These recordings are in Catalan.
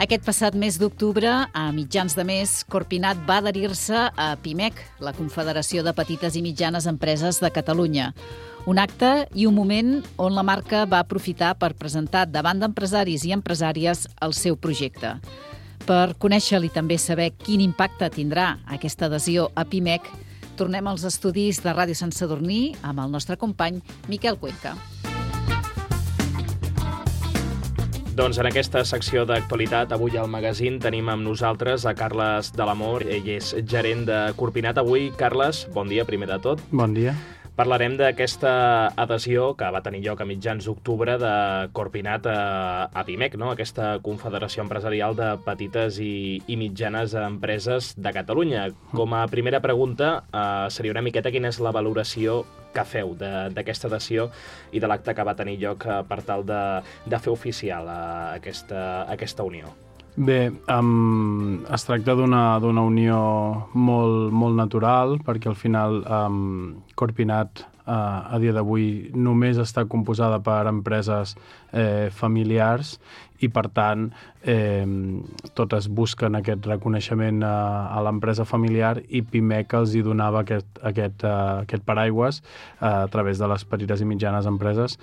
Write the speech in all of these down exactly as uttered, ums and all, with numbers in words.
Aquest passat mes d'octubre, a mitjans de mes, Corpinat va adherir-se a PIMEC, la Confederació de Petites i Mitjanes Empreses de Catalunya. Un acte i un moment on la marca va aprofitar per presentar davant d'empresaris i empresàries el seu projecte. Per conèixer-li i també saber quin impacte tindrà aquesta adhesió a PIMEC, tornem als estudis de Ràdio Sant Sadurní amb el nostre company Miquel Cuenca. Doncs en aquesta secció d'actualitat, avui al magazín tenim amb nosaltres a Carles de l'Amor. Ell és gerent de Corpinat. Avui, Carles, bon dia, primer de tot. Bon dia. Parlarem d'aquesta adhesió que va tenir lloc a mitjans d'octubre de Corpinat a, a PIMEC, no? Aquesta Confederació Empresarial de Petites i, i Mitjanes Empreses de Catalunya. Com a primera pregunta, eh, seria una miqueta quina és la valoració que feu d'aquesta adhesió i de l'acte que va tenir lloc eh, per tal de, de fer oficial eh, aquesta, aquesta unió. Bé, um, es tracta d'una d'una unió molt, molt natural, perquè al final um, Corpinat uh, a dia d'avui només està composada per empreses eh, familiars i, per tant, eh, totes busquen aquest reconeixement a, a l'empresa familiar i PIMEC els hi donava aquest, aquest, uh, aquest paraigües uh, a través de les petites i mitjanes empreses.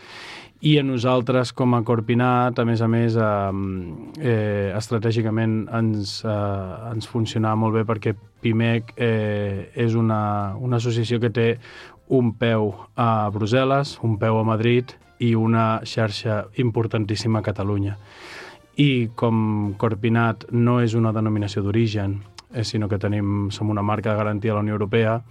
I a nosaltres, com a Corpinat, a més a més, eh, eh, estratègicament ens, eh, ens funcionava molt bé perquè PIMEC eh, és una, una associació que té un peu a Brussel·les, un peu a Madrid i una xarxa importantíssima a Catalunya. I com Corpinat no és una denominació d'origen, eh, sinó que tenim, som una marca de garantia a la Unió Europea,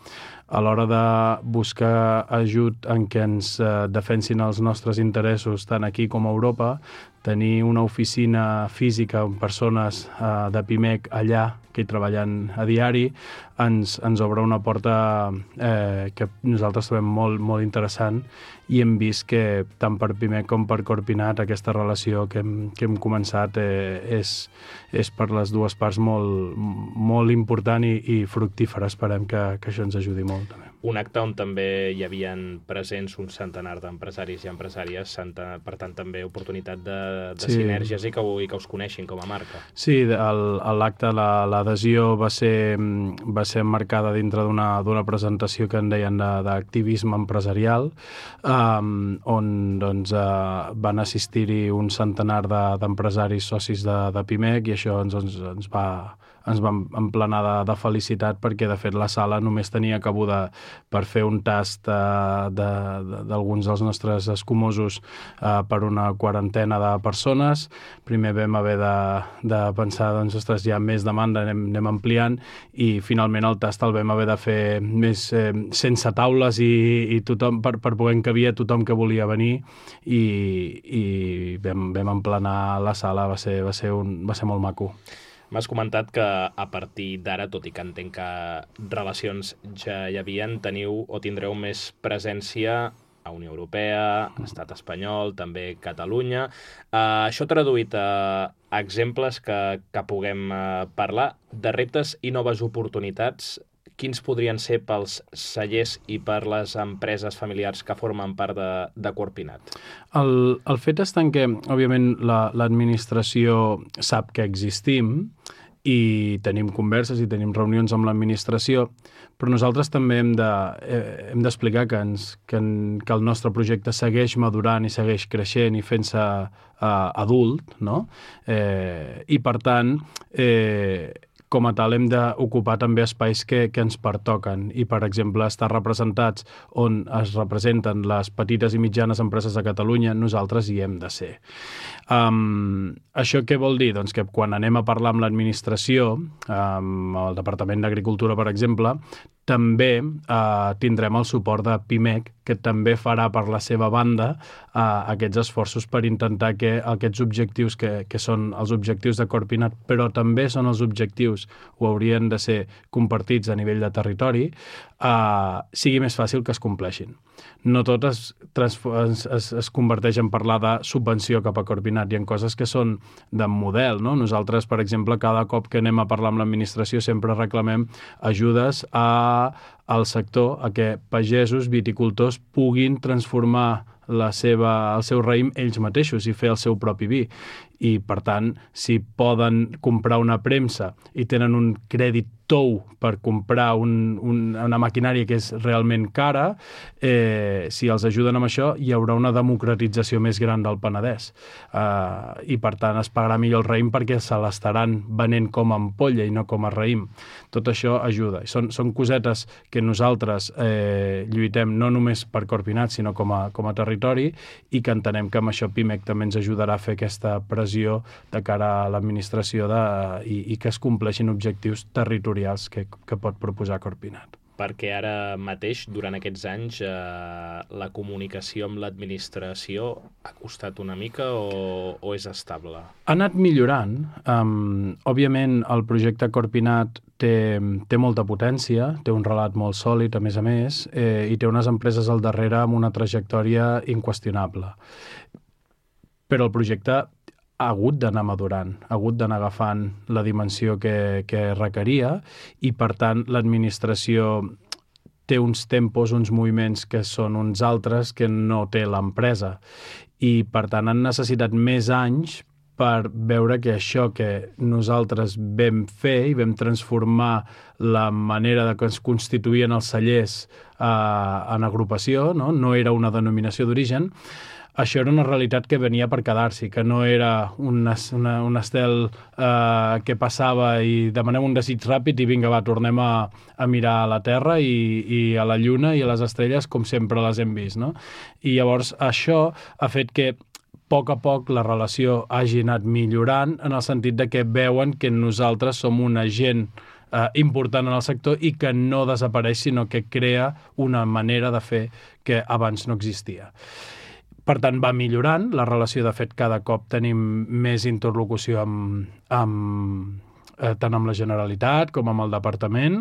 a l'hora de buscar ajut en què ens eh, defensin els nostres interessos tant aquí com a Europa, tenir una oficina física amb persones eh, de PIMEC allà que hi treballen a diari, ens, ens obre una porta eh, que nosaltres trobem molt, molt interessant i hem vist que tant per PIMEC com per Corpinat aquesta relació que hem, que hem començat eh, és, és per les dues parts molt, molt important i, i fructífera. Esperem que, que això ens ajudi molt també. Un acte on també hi havien presents un centenar d'empresaris i empresàries, per tant també oportunitat de, de sí. Sinergies i que, i que us coneixin com a marca. Sí, l'acte, l'adhesió va ser, va ser marcada dintre d'una presentació que en deien d'activisme empresarial, um, on doncs, uh, van assistir-hi un centenar d'empresaris socis de, de PIMEC i això ens, ens, ens va... ens vam emplenar de, de felicitat perquè, de fet, la sala només tenia cabuda per fer un tast uh, d'alguns de, de, dels nostres escumosos uh, per una quarantena de persones. Primer vam haver de, de pensar, doncs, ostres, hi ha més demanda, anem, anem ampliant, i finalment el tast el vam haver de fer més eh, sense taules i, i tothom, per, per poder encabir a tothom que volia venir, i, i vam, vam emplenar la sala, va ser, va ser, un, va ser molt maco. M'has comentat que a partir d'ara, tot i que entenc que relacions ja hi havien, teniu o tindreu més presència a Unió Europea, Estat espanyol, també Catalunya. Uh, això traduït a exemples que, que puguem uh, parlar de reptes i noves oportunitats, quins podrien ser pels cellers i per les empreses familiars que formen part de, de Corpinat? El, el fet està en què, òbviament, l'administració la, sap que existim i tenim converses i tenim reunions amb l'administració, però nosaltres també hem de, eh, hem d'explicar que, ens, que, en, que el nostre projecte segueix madurant i segueix creixent i fent-se eh, adult, no? Eh, I, per tant, eh, com a tal hem d'ocupar també espais que, que ens pertoquen i, per exemple, estar representats on es representen les petites i mitjanes empreses de Catalunya, nosaltres hi hem de ser. Um, això què vol dir? Doncs que quan anem a parlar amb l'administració, amb el Departament d'Agricultura, per exemple, també eh, tindrem el suport de PIMEC, que també farà per la seva banda eh, aquests esforços per intentar que aquests objectius, que, que són els objectius de Corpinat, però també són els objectius, o haurien de ser compartits a nivell de territori, eh, sigui més fàcil que es compleixin. No tot es, es, es, es converteix en parlar de subvenció cap a Corpinat. Hi ha coses que són de model, no? Nosaltres, per exemple, cada cop que anem a parlar amb l'administració sempre reclamem ajudes a al sector a que pagesos, viticultors puguin transformar la seva, el seu raïm ells mateixos i fer el seu propi vi. I, per tant, si poden comprar una premsa i tenen un crèdit tou per comprar un, un, una maquinària que és realment cara, eh, si els ajuden amb això, hi haurà una democratització més gran del Penedès. Uh, I, per tant, es pagarà millor el raïm perquè se l'estaran venent com a ampolla i no com a raïm. Tot això ajuda. Són, són cosetes que nosaltres eh, lluitem no només per Corpinat, sinó com a, com a territori, i que entenem que amb això Pimec també ens ajudarà a fer aquesta pressió de cara a l'administració de, i, i que es compleixin objectius territorials que, que pot proposar Corpinat. Perquè ara mateix, durant aquests anys, eh, la comunicació amb l'administració ha costat una mica o, o és estable? Ha anat millorant. Um, òbviament, el projecte Corpinat té, té molta potència, té un relat molt sòlid, a més a més, eh, i té unes empreses al darrere amb una trajectòria inqüestionable. Però el projecte ha hagut d'anar madurant, ha hagut d'anar agafant la dimensió que, que requeria i, per tant, l'administració té uns tempos, uns moviments que són uns altres que no té l'empresa. I, per tant, han necessitat més anys per veure que això que nosaltres vam fer i vam transformar la manera de que es constituïen els cellers eh, en agrupació, no? No era una denominació d'origen. Això era una realitat que venia per quedar-s'hi, que no era un, una, un estel eh, que passava i demanem un desig ràpid i vinga, va, tornem a, a mirar a la Terra i, i a la Lluna i a les estrelles com sempre les hem vist, no? I llavors això ha fet que a poc a poc la relació hagi anat millorant en el sentit de que veuen que nosaltres som un agent eh, important en el sector i que no desapareix, sinó que crea una manera de fer que abans no existia. Per tant, va millorant la relació. De fet, cada cop tenim més interlocució amb, amb, eh, tant amb la Generalitat com amb el Departament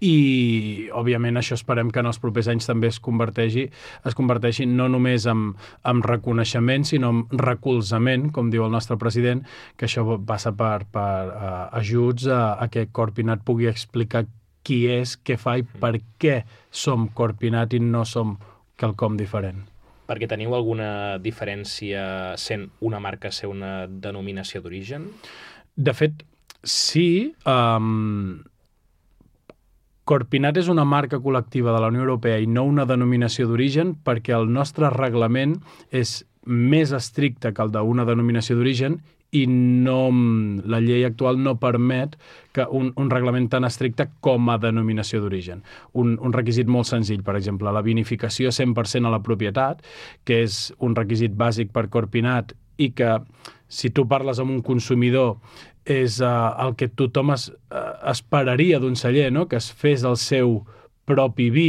i, òbviament, això esperem que en els propers anys també es converteixi, es converteixi no només en, en reconeixement, sinó en recolzament, com diu el nostre president, que això passa per, per uh, ajuts a, a que Corpinat pugui explicar qui és, què fa i per què som Corpinat i no som quelcom diferent. Perquè teniu alguna diferència sent una marca, ser una denominació d'origen? De fet, sí. Um, Corpinat és una marca col·lectiva de la Unió Europea i no una denominació d'origen perquè el nostre reglament és més estricte que el d'una denominació d'origen i no, la llei actual no permet que un, un reglament tan estricte com a denominació d'origen. Un, un requisit molt senzill, per exemple, la vinificació cent per cent a la propietat, que és un requisit bàsic per Corpinat i que, si tu parles amb un consumidor, és uh, el que tothom es, uh, esperaria d'un celler, no? Que es fes el seu propi vi.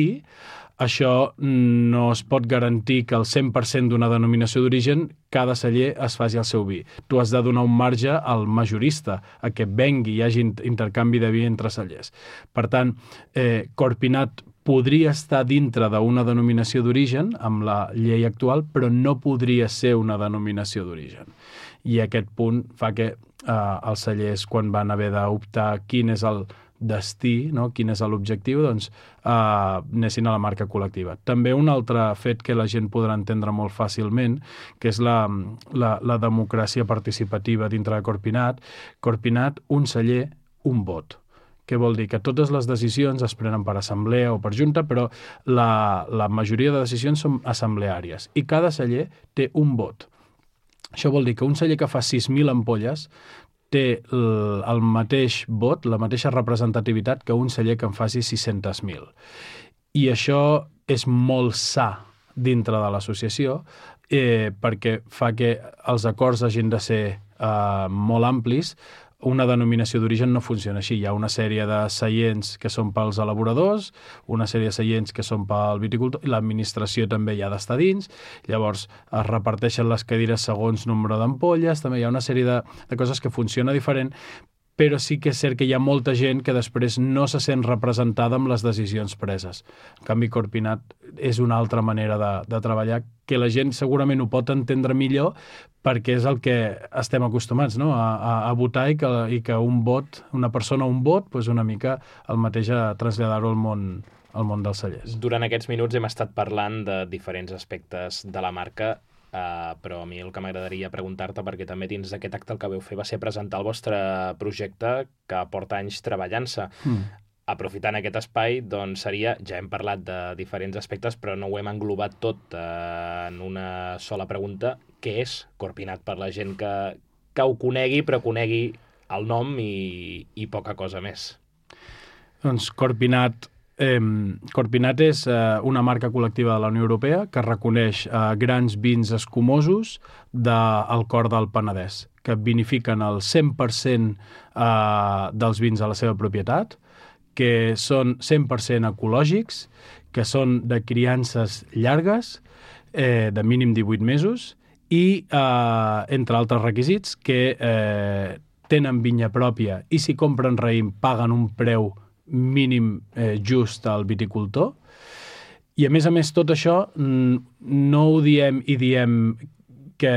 Això no es pot garantir que el cent per cent d'una denominació d'origen cada celler es faci el seu vi. Tu has de donar un marge al majorista a que vengui i hi hagi intercanvi de vi entre cellers. Per tant, eh, Corpinat podria estar dintre d'una denominació d'origen amb la llei actual, però no podria ser una denominació d'origen. I aquest punt fa que eh, els cellers, quan van haver d'optar quin és el destí, no? Quin és l'objectiu, doncs eh, anessin a la marca col·lectiva. També un altre fet que la gent podrà entendre molt fàcilment, que és la, la, la democràcia participativa dintre de Corpinat. Corpinat, un celler, un vot. Què vol dir? Que totes les decisions es prenen per assemblea o per junta, però la, la majoria de decisions són assembleàries i cada celler té un vot. Això vol dir que un celler que fa sis mil ampolles té el, el mateix vot, la mateixa representativitat que un celler que en faci sis-centes mil. I això és molt sa dintre de l'associació eh, perquè fa que els acords hagin de ser eh, molt amplis. Una denominació d'origen no funciona així. Hi ha una sèrie de seients que són pels elaboradors, una sèrie de seients que són pel viticultor, i l'administració també hi ha d'estar dins. Llavors es reparteixen les cadires segons nombre d'ampolles, també hi ha una sèrie de, de coses que funciona diferent, però sí que és cert que hi ha molta gent que després no se sent representada amb les decisions preses. En canvi, Corpinat és una altra manera de, de treballar que la gent segurament ho pot entendre millor perquè és el que estem acostumats, no? a, a, a votar i que, i que un vot, una persona un vot, doncs una mica el mateix a traslladar-ho al món, al món dels cellers. Durant aquests minuts hem estat parlant de diferents aspectes de la marca, Uh, però a mi el que m'agradaria preguntar-te, perquè també dins d'aquest acte el que veu fer va ser presentar el vostre projecte que porta anys treballant-se. Mm. Aprofitant aquest espai, doncs seria, ja hem parlat de diferents aspectes, però no ho hem englobat tot uh, en una sola pregunta. Què és Corpinat per la gent que, que ho conegui, però conegui el nom i, i poca cosa més? Doncs Corpinat... Eh, Corpinat és eh, una marca col·lectiva de la Unió Europea que reconeix eh, grans vins escumosos del cor del Penedès, que vinifiquen el cent per cent eh, dels vins a la seva propietat, que són cent per cent ecològics, que són de criances llargues, eh, de mínim divuit mesos, i, eh, entre altres requisits, que eh, tenen vinya pròpia i si compren raïm paguen un preu mínim eh, just al viticultor. I a més a més tot això no ho diem i diem que,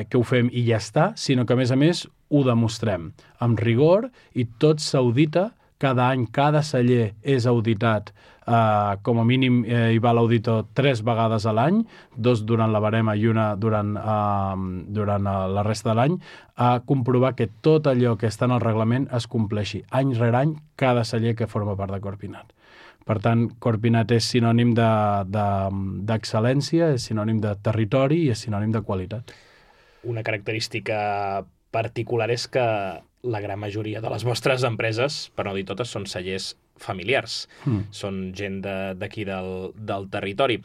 que ho fem i ja està, sinó que a més a més ho demostrem amb rigor i tot s'audita cada any, cada celler és auditat, eh, com a mínim eh, hi va l'auditor tres vegades a l'any, dos durant la barema i una durant, eh, durant la resta de l'any, a comprovar que tot allò que està en el reglament es compleixi any rere any cada celler que forma part de Corpinat. Per tant, Corpinat és sinònim de, de, d'excel·lència, és sinònim de territori i és sinònim de qualitat. Una característica particular és que la gran majoria de les vostres empreses, per no dir totes, són cellers familiars. Mm. Són gent d'aquí de, del, del territori.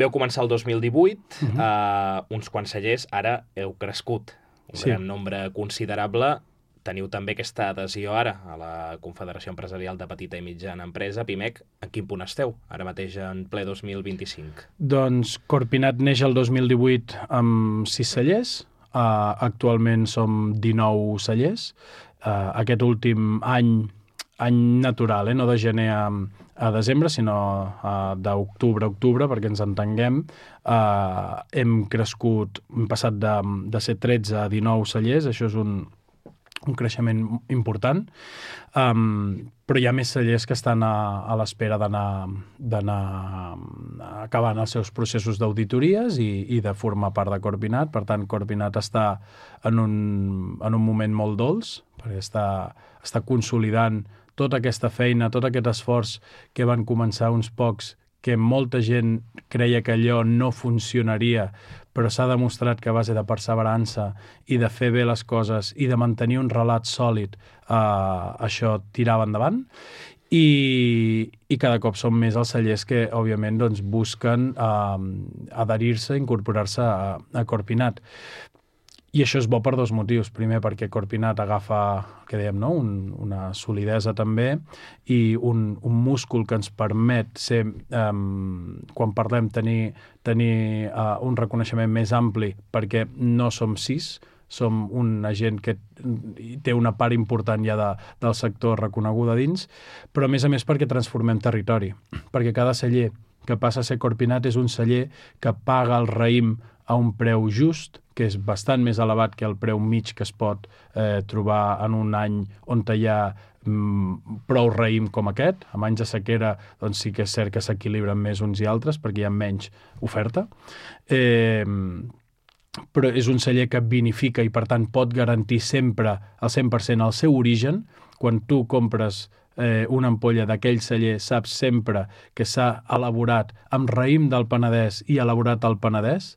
Veu començar el dos mil divuit, mm-hmm. uh, uns quants cellers, ara heu crescut un sí. gran nombre considerable. Teniu també aquesta adhesió ara a la Confederació Empresarial de Petita i Mitjana Empresa, PIMEC. En quin punt esteu ara mateix en ple dos mil vint-i-cinc? Doncs Corpinat neix el dos mil divuit amb sis cellers. Uh, actualment som dinou cellers. Uh, aquest últim any, any natural, eh? No de gener a, a desembre, sinó uh, d'octubre a octubre, perquè ens entenguem, uh, hem crescut, hem passat de, de ser tretze a dinou cellers, això és un, un creixement important, um, però hi ha més cellers que estan a, a l'espera d'anar, d'anar acabant els seus processos d'auditories i, i de formar part de Corpinat. Per tant, Corpinat està en un, en un moment molt dolç, perquè està, està consolidant tota aquesta feina, tot aquest esforç que van començar uns pocs, que molta gent creia que allò no funcionaria, però s'ha demostrat que a base de perseverança i de fer bé les coses i de mantenir un relat sòlid, eh, això tirava endavant. I, i cada cop són més els cellers que, òbviament, doncs, busquen eh, adherir-se, incorporar-se a, a Corpinat. I això és bo per dos motius. Primer, perquè Corpinat agafa, que dèiem, no? un, una solidesa també i un, un múscul que ens permet ser, um, quan parlem, tenir, tenir uh, un reconeixement més ampli, perquè no som sis, som una gent que té una part important ja de, del sector reconeguda dins, però a més a més perquè transformem territori, perquè cada celler que passa a ser Corpinat és un celler que paga el raïm a un preu just, que és bastant més elevat que el preu mig que es pot eh, trobar en un any on hi ha mm, prou raïm com aquest. En anys de sequera doncs sí que és cert que s'equilibren més uns i altres perquè hi ha menys oferta. Eh, però és un celler que vinifica i per tant pot garantir sempre al cent per cent el seu origen. Quan tu compres eh, una ampolla d'aquell celler saps sempre que s'ha elaborat amb raïm del Penedès i elaborat al Penedès,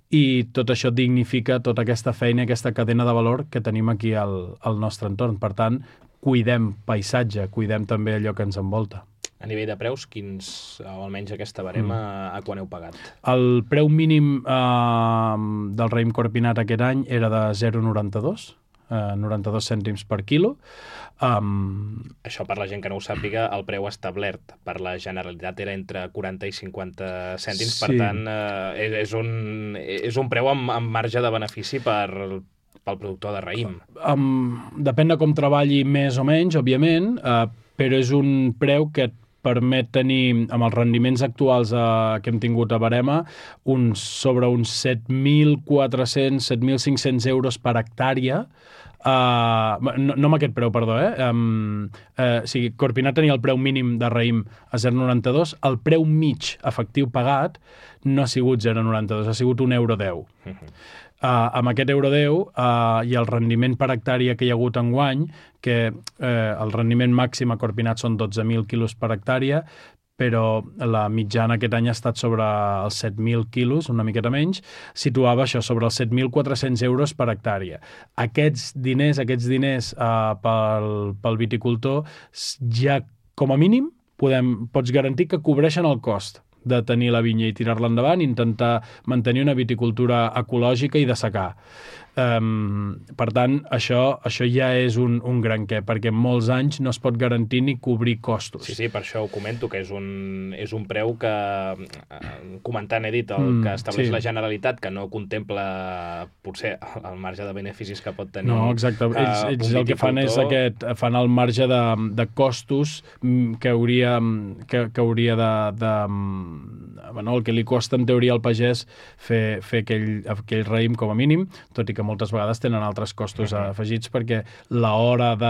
i tot això dignifica tota aquesta feina, aquesta cadena de valor que tenim aquí al, al nostre entorn. Per tant, cuidem paisatge, cuidem també allò que ens envolta. A nivell de preus, quins, o almenys aquesta barema, mm. a quan heu pagat? El preu mínim eh, del raïm Corpinat aquest any era de zero coma noranta-dos, eh, noranta-dos cèntims per quilo. Um... Això, per la gent que no ho sàpiga, el preu establert per la Generalitat era entre quaranta i cinquanta cèntims, sí. Per tant, eh, és, un, és un preu amb, amb marge de benefici per, pel productor de raïm. Um, depèn de com treballi més o menys, òbviament, uh, però és un preu que et permet tenir, amb els rendiments actuals uh, que hem tingut a Verema, un, sobre uns set mil quatre-cents, set mil cinc-cents euros per hectàrea. Uh, no, no amb aquest preu, perdó, eh? Um, uh, o sigui, Corpinat tenia el preu mínim de raïm a zero coma noranta-dos, el preu mig efectiu pagat no ha sigut zero coma noranta-dos, ha sigut un euro deu. Uh-huh. Uh, amb aquest euro deu uh, i el rendiment per hectàrea que hi ha hagut enguany, que uh, el rendiment màxim a Corpinat són dotze mil quilos per hectàrea, però la mitjana aquest any ha estat sobre els set mil quilos, una miqueta menys, situava això sobre els set mil quatre-cents euros per hectàrea. Aquests diners, aquests diners uh, pel, pel viticultor, ja com a mínim podem, pots garantir que cobreixen el cost de tenir la vinya i tirar-la endavant, intentar mantenir una viticultura ecològica i de secà. Um, per tant, això, això ja és un, un gran què, perquè en molts anys no es pot garantir ni cobrir costos. Sí, sí, per això ho comento, que és un, és un preu que, comentant he dit, el mm, que estableix sí. la Generalitat, que no contempla potser el marge de beneficis que pot tenir. No, exacte. Uh, ells ells el que fan és aquest, fan el marge de, de costos que hauria, que, que hauria de, de bueno, el que li costa en teoria al pagès fer, fer aquell, aquell raïm com a mínim, tot i que moltes vegades tenen altres costos uh-huh. afegits perquè l'hora de,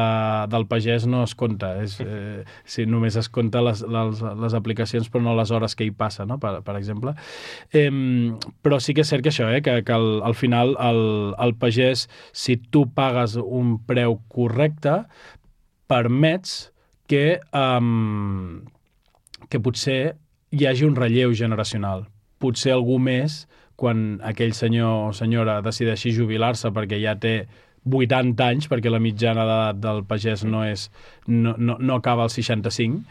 del pagès no es compta. És, eh, si només es compta les, les, les aplicacions però no les hores que hi passa, no? per, per exemple. Eh, però sí que és cert que això, eh, que, que al, al final el, el pagès, si tu pagues un preu correcte, permets que, um, que potser hi hagi un relleu generacional. Potser algú més quan aquell senyor o senyora decideixi jubilar-se perquè ja té vuitanta anys, perquè la mitjana d'edat del pagès no, és, no, no, no acaba als seixanta-cinc,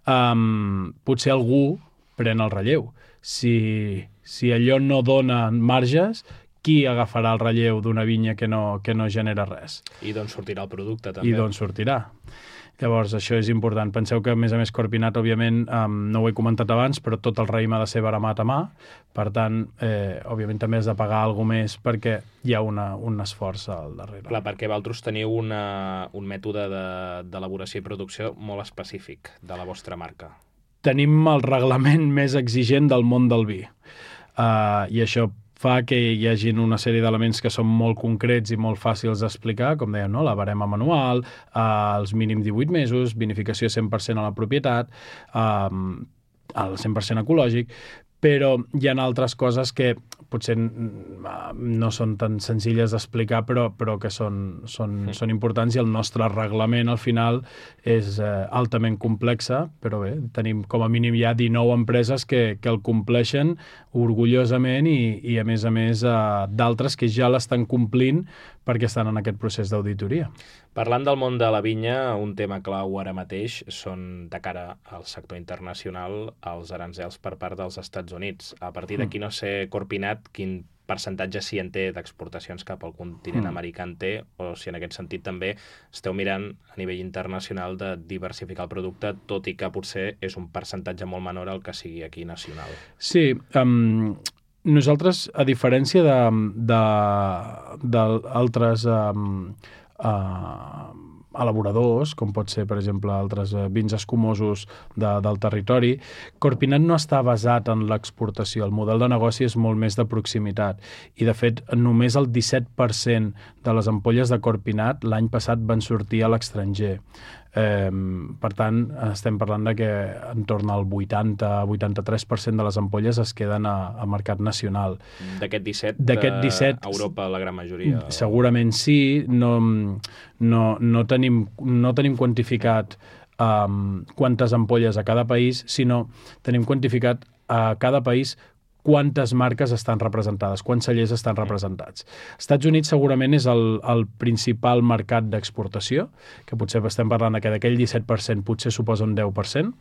um, potser algú pren el relleu. Si, si allò no dona marges, qui agafarà el relleu d'una vinya que no, que no genera res? I d'on sortirà el producte, també. I d'on sortirà. Llavors, això és important. Penseu que, a més a més, Corpinat, òbviament, um, no ho he comentat abans, però tot el raïm ha de ser veremat a mà. Per tant, eh, òbviament, també has de pagar alguna més perquè hi ha una, un esforç al darrere. Clar, perquè vosaltres teniu una, un mètode d'elaboració de, i producció molt específic de la vostra marca. Tenim el reglament més exigent del món del vi. Uh, I això fa que hi hagi una sèrie d'elements que són molt concrets i molt fàcils d'explicar, com dèiem, no? La barema manual, eh, els mínim divuit mesos, vinificació cent per cent a la propietat, eh, el cent per cent ecològic, però hi ha altres coses que potser no són tan senzilles d'explicar, però, però que són, són, sí. són importants, i el nostre reglament al final és eh, altament complexa, però bé, tenim com a mínim ja dinou empreses que, que el compleixen orgullosament i, i a més a més eh, d'altres que ja l'estan complint perquè estan en aquest procés d'auditoria. Parlant del món de la vinya, un tema clau ara mateix són, de cara al sector internacional, els aranzels per part dels Estats Units. A partir d'aquí, no sé, Corpinat, quin percentatge sí en té d'exportacions cap al continent mm. americà en té, o si en aquest sentit també esteu mirant a nivell internacional de diversificar el producte, tot i que potser és un percentatge molt menor al que sigui aquí nacional. Sí, um... nosaltres, a diferència d'altres um, uh, elaboradors, com pot ser, per exemple, altres uh, vins escumosos de, del territori, Corpinat no està basat en l'exportació. El model de negoci és molt més de proximitat. I, de fet, només el disset per cent de les ampolles de Corpinat l'any passat van sortir a l'estranger. Eh, per tant, estem parlant de que entorn al vuitanta a vuitanta-tres per cent de les ampolles es queden a, a mercat nacional. D'aquest disset, D'aquest disset, a Europa la gran majoria? Segurament sí. No, no, no, tenim, no tenim quantificat um, quantes ampolles a cada país, sinó tenim quantificat a cada país quantes marques estan representades, quants cellers estan representats. Estats Units segurament és el, el principal mercat d'exportació, que potser estem parlant que d'aquell disset per cent potser suposa un deu per cent,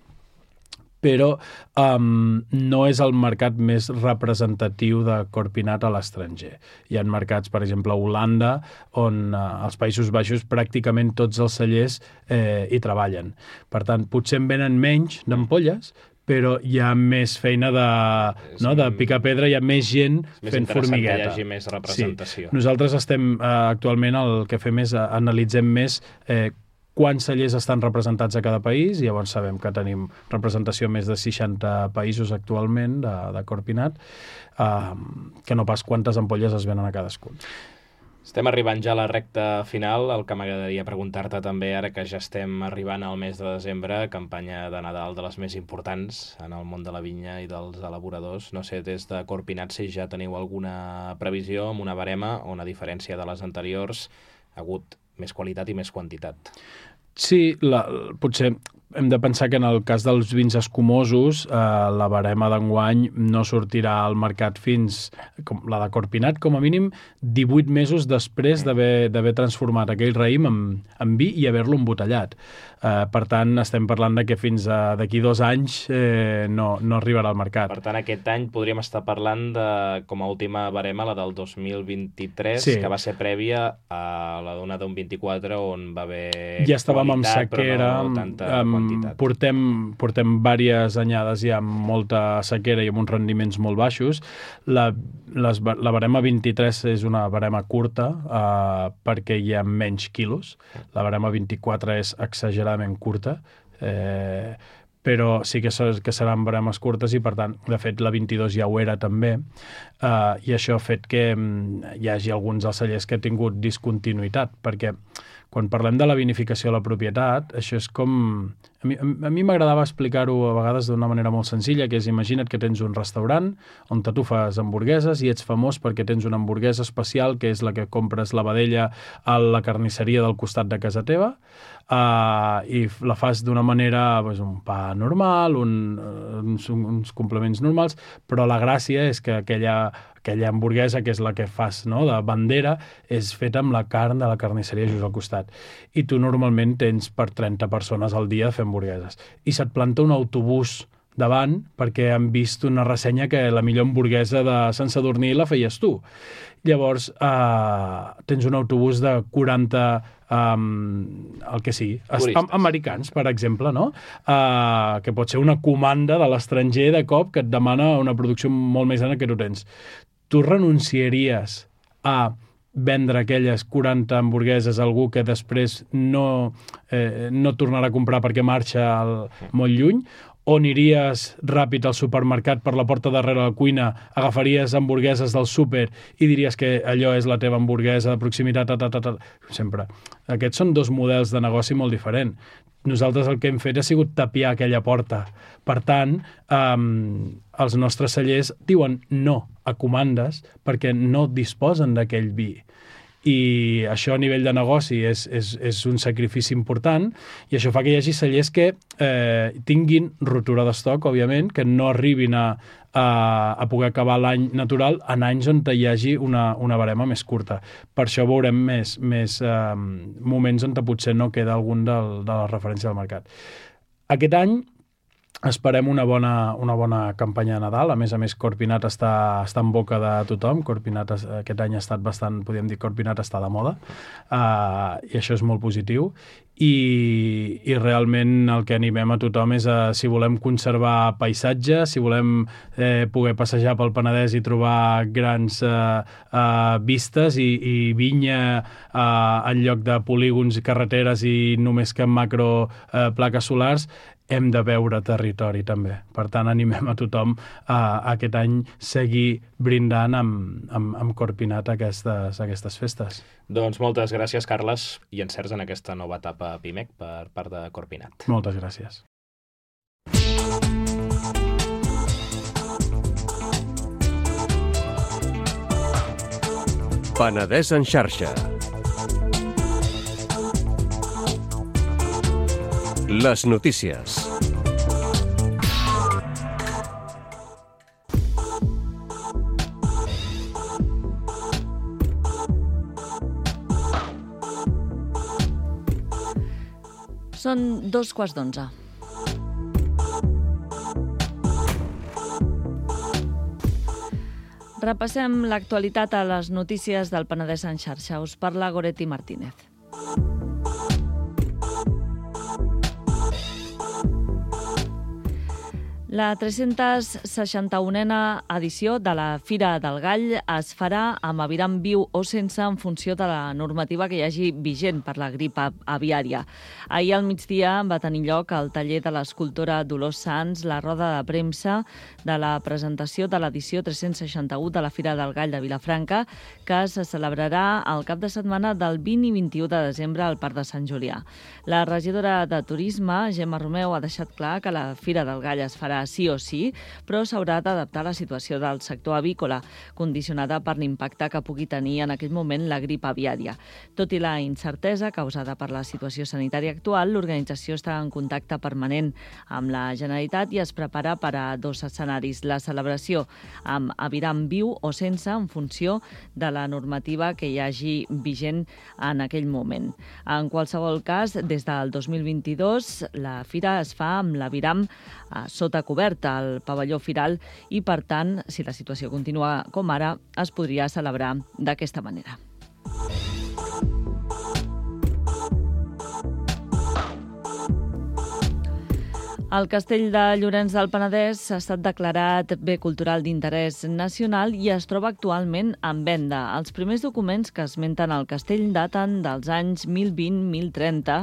però um, no és el mercat més representatiu de Corpinat a l'estranger. Hi ha mercats, per exemple, a Holanda, on uh, als Països Baixos pràcticament tots els cellers eh, hi treballen. Per tant, potser en venen menys d'ampolles, però hi ha més feina de, no, de picar pedra, hi ha més gent fent formigueta. Que hi hagi més representació. Sí. Nosaltres estem, eh, actualment, el que fem és, eh, analitzem més eh, quants cellers estan representats a cada país, i llavors sabem que tenim representació a més de seixanta països actualment de, de Corpinat, eh, que no pas quantes ampolles es venen a cadascun. Estem arribant ja a la recta final. El que m'agradaria preguntar-te també, ara que ja estem arribant al mes de desembre, campanya de Nadal de les més importants en el món de la vinya i dels elaboradors. No sé, des de Corpinat, si ja teniu alguna previsió amb una barema on, a diferència de les anteriors, ha hagut més qualitat i més quantitat. Sí, la, potser hem de pensar que en el cas dels vins escumosos eh, la barema d'enguany no sortirà al mercat fins, com la de Corpinat, com a mínim divuit mesos després d'haver transformat aquell raïm en, en vi i haver-lo embotellat. Eh, per tant, estem parlant de que fins d'aquí dos anys eh, no, no arribarà al mercat. Per tant, aquest any podríem estar parlant de, com a última barema, la del dos mil vint-i-tres, sí, que va ser prèvia a la d'una d'un vint-i-quatre, on va haver ja estàvem amb sequera, no tanta um, quantitat. Portem, portem diverses anyades ja amb molta sequera i amb uns rendiments molt baixos. La, les, la barema vint-i-tres és una barema curta eh, perquè hi ha menys quilos. La barema vint-i-quatre és exageradament curta, eh, però sí que, que seran baremes curtes i, per tant, de fet, la vint-i-dos ja ho era també, eh, i això ha fet que hi hagi alguns dels cellers que ha tingut discontinuïtat, perquè quan parlem de la vinificació de la propietat, això és com... A mi, a mi m'agradava explicar-ho a vegades d'una manera molt senzilla, que és, imagina't que tens un restaurant on tu fas hamburgueses i ets famós perquè tens una hamburguesa especial, que és la que compres la vedella a la carnisseria del costat de casa teva, uh, i la fas d'una manera, pues, un pa normal, un, uns, uns complements normals, però la gràcia és que aquella... aquella hamburguesa, que és la que fas, no, de bandera, és feta amb la carn de la carnisseria just al costat. I tu normalment tens per trenta persones al dia a fer hamburgueses. I se't planta un autobús davant perquè han vist una ressenya que la millor hamburguesa de Sant Sadurní la feies tu. Llavors, eh, tens un autobús de quaranta, um, el que sigui, am americans, per exemple, no? Uh, que pot ser una comanda de l'estranger de cop que et demana una producció molt més gran que tu tens. Tu renunciaries a vendre aquelles quaranta hamburgueses a algú que després no, eh, no tornarà a comprar perquè marxa al, molt lluny, o aniries ràpid al supermercat per la porta darrere la cuina, agafaries hamburgueses del súper i diries que allò és la teva hamburguesa de proximitat, ta, ta, ta, ta. Sempre. Aquests són dos models de negoci molt diferents. Nosaltres el que hem fet ha sigut tapiar aquella porta. Per tant, um, els nostres cellers diuen no a comandes perquè no disposen d'aquell vi. I això a nivell de negoci és, és, és un sacrifici important, i això fa que hi hagi cellers que eh, tinguin rotura d'estoc, òbviament, que no arribin a, a, a poder acabar l'any natural en anys on hi hagi una, una barema més curta. Per això veurem més, més eh, moments on potser no queda algun del, de la referència del mercat. Aquest any esperem una bona, una bona campanya de Nadal. A més a més, Corpinat està, està en boca de tothom. Corpinat aquest any ha estat bastant, podríem dir, Corpinat està de moda, uh, i això és molt positiu. I, i realment el que animem a tothom és a, si volem conservar paisatge, si volem eh, poder passejar pel Penedès i trobar grans eh, eh, vistes i, i vinya eh, en lloc de polígons i carreteres i només que macro eh, plaques solars, hem de veure territori també. Per tant, animem a tothom a, a aquest any seguir brindant amb, amb, amb Corpinat aquestes, aquestes festes. Doncs moltes gràcies, Carles, i encerts en aquesta nova etapa Pimec per part de Corpinat. Moltes gràcies. Penedès en xarxa. Les notícies. Són dos quarts d'onze. Repassem l'actualitat a les notícies del Penedès en xarxa. Us parla Goretti Martínez. La tres-cents seixanta-unena edició de la Fira del Gall es farà amb aviram viu o sense en funció de la normativa que hi hagi vigent per la grip aviària. Ahir al migdia va tenir lloc al taller de l'escultora Dolors Sans la roda de premsa de la presentació de l'edició tres-cents seixanta-u de la Fira del Gall de Vilafranca, que se celebrarà el cap de setmana del vint i vint-i-u de desembre al Parc de Sant Julià. La regidora de Turisme, Gemma Romeu, ha deixat clar que la Fira del Gall es farà sí o sí, però s'haurà d'adaptar a la situació del sector avícola, condicionada per l'impacte que pugui tenir en aquell moment la grip aviària. Tot i la incertesa causada per la situació sanitària actual, l'organització està en contacte permanent amb la Generalitat i es prepara per a dos escenaris: la celebració amb aviram viu o sense, en funció de la normativa que hi hagi vigent en aquell moment. En qualsevol cas, des del dos mil vint-i-dos, la fira es fa amb l'aviram sota coberta al pavelló firal i, per tant, si la situació continua com ara, es podria celebrar d'aquesta manera. El castell de Llorenç del Penedès ha estat declarat bé cultural d'interès nacional i es troba actualment en venda. Els primers documents que esmenten el castell daten dels anys mil vint a mil trenta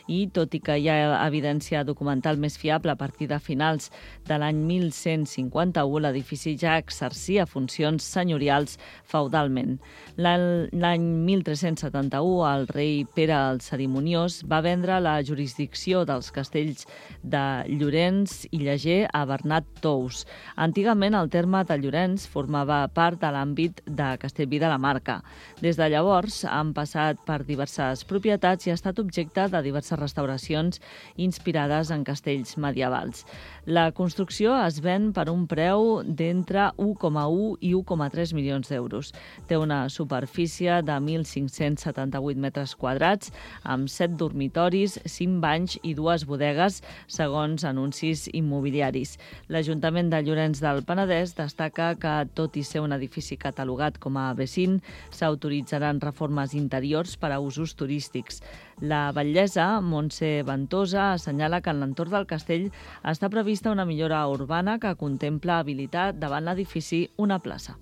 i, tot i que hi ha evidència documental més fiable a partir de finals de l'any mil cent cinquanta-u, l'edifici ja exercia funcions senyorials feudalment. L'any mil tres-cents setanta-u, el rei Pere el Cerimoniós va vendre la jurisdicció dels castells de Llorenç i Llager a Bernat Tous. Antigament, el terme de Llorenç formava part de l'àmbit de Castellví de la Marca. Des de llavors, han passat per diverses propietats i ha estat objecte de diverses restauracions inspirades en castells medievals. La construcció es ven per un preu d'entre u coma u i u coma tres milions d'euros. Té una superfície de mil cinc-cents setanta-vuit metres quadrats, amb set dormitoris, cinc banys i dues bodegues, segons anuncis immobiliaris. L'Ajuntament de Llorenç del Penedès destaca que, tot i ser un edifici catalogat com a B cinc, s'autoritzaran reformes interiors per a usos turístics. La batllessa, Montse Ventosa, assenyala que en l'entorn del castell està prevista una millora urbana que contempla habilitar davant l'edifici una plaça.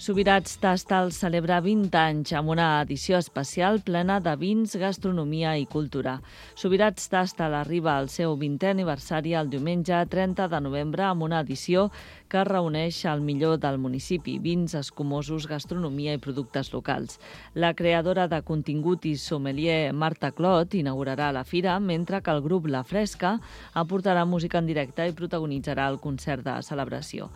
Subirats Tastal celebra vint anys amb una edició especial plena de vins, gastronomia i cultura. Subirats Tastal arriba al seu vintè aniversari el diumenge trenta de novembre amb una edició que reuneix el millor del municipi: vins, escumosos, gastronomia i productes locals. La creadora de contingut i sommelier Marta Clot inaugurarà la fira, mentre que el grup La Fresca aportarà música en directe i protagonitzarà el concert de celebració.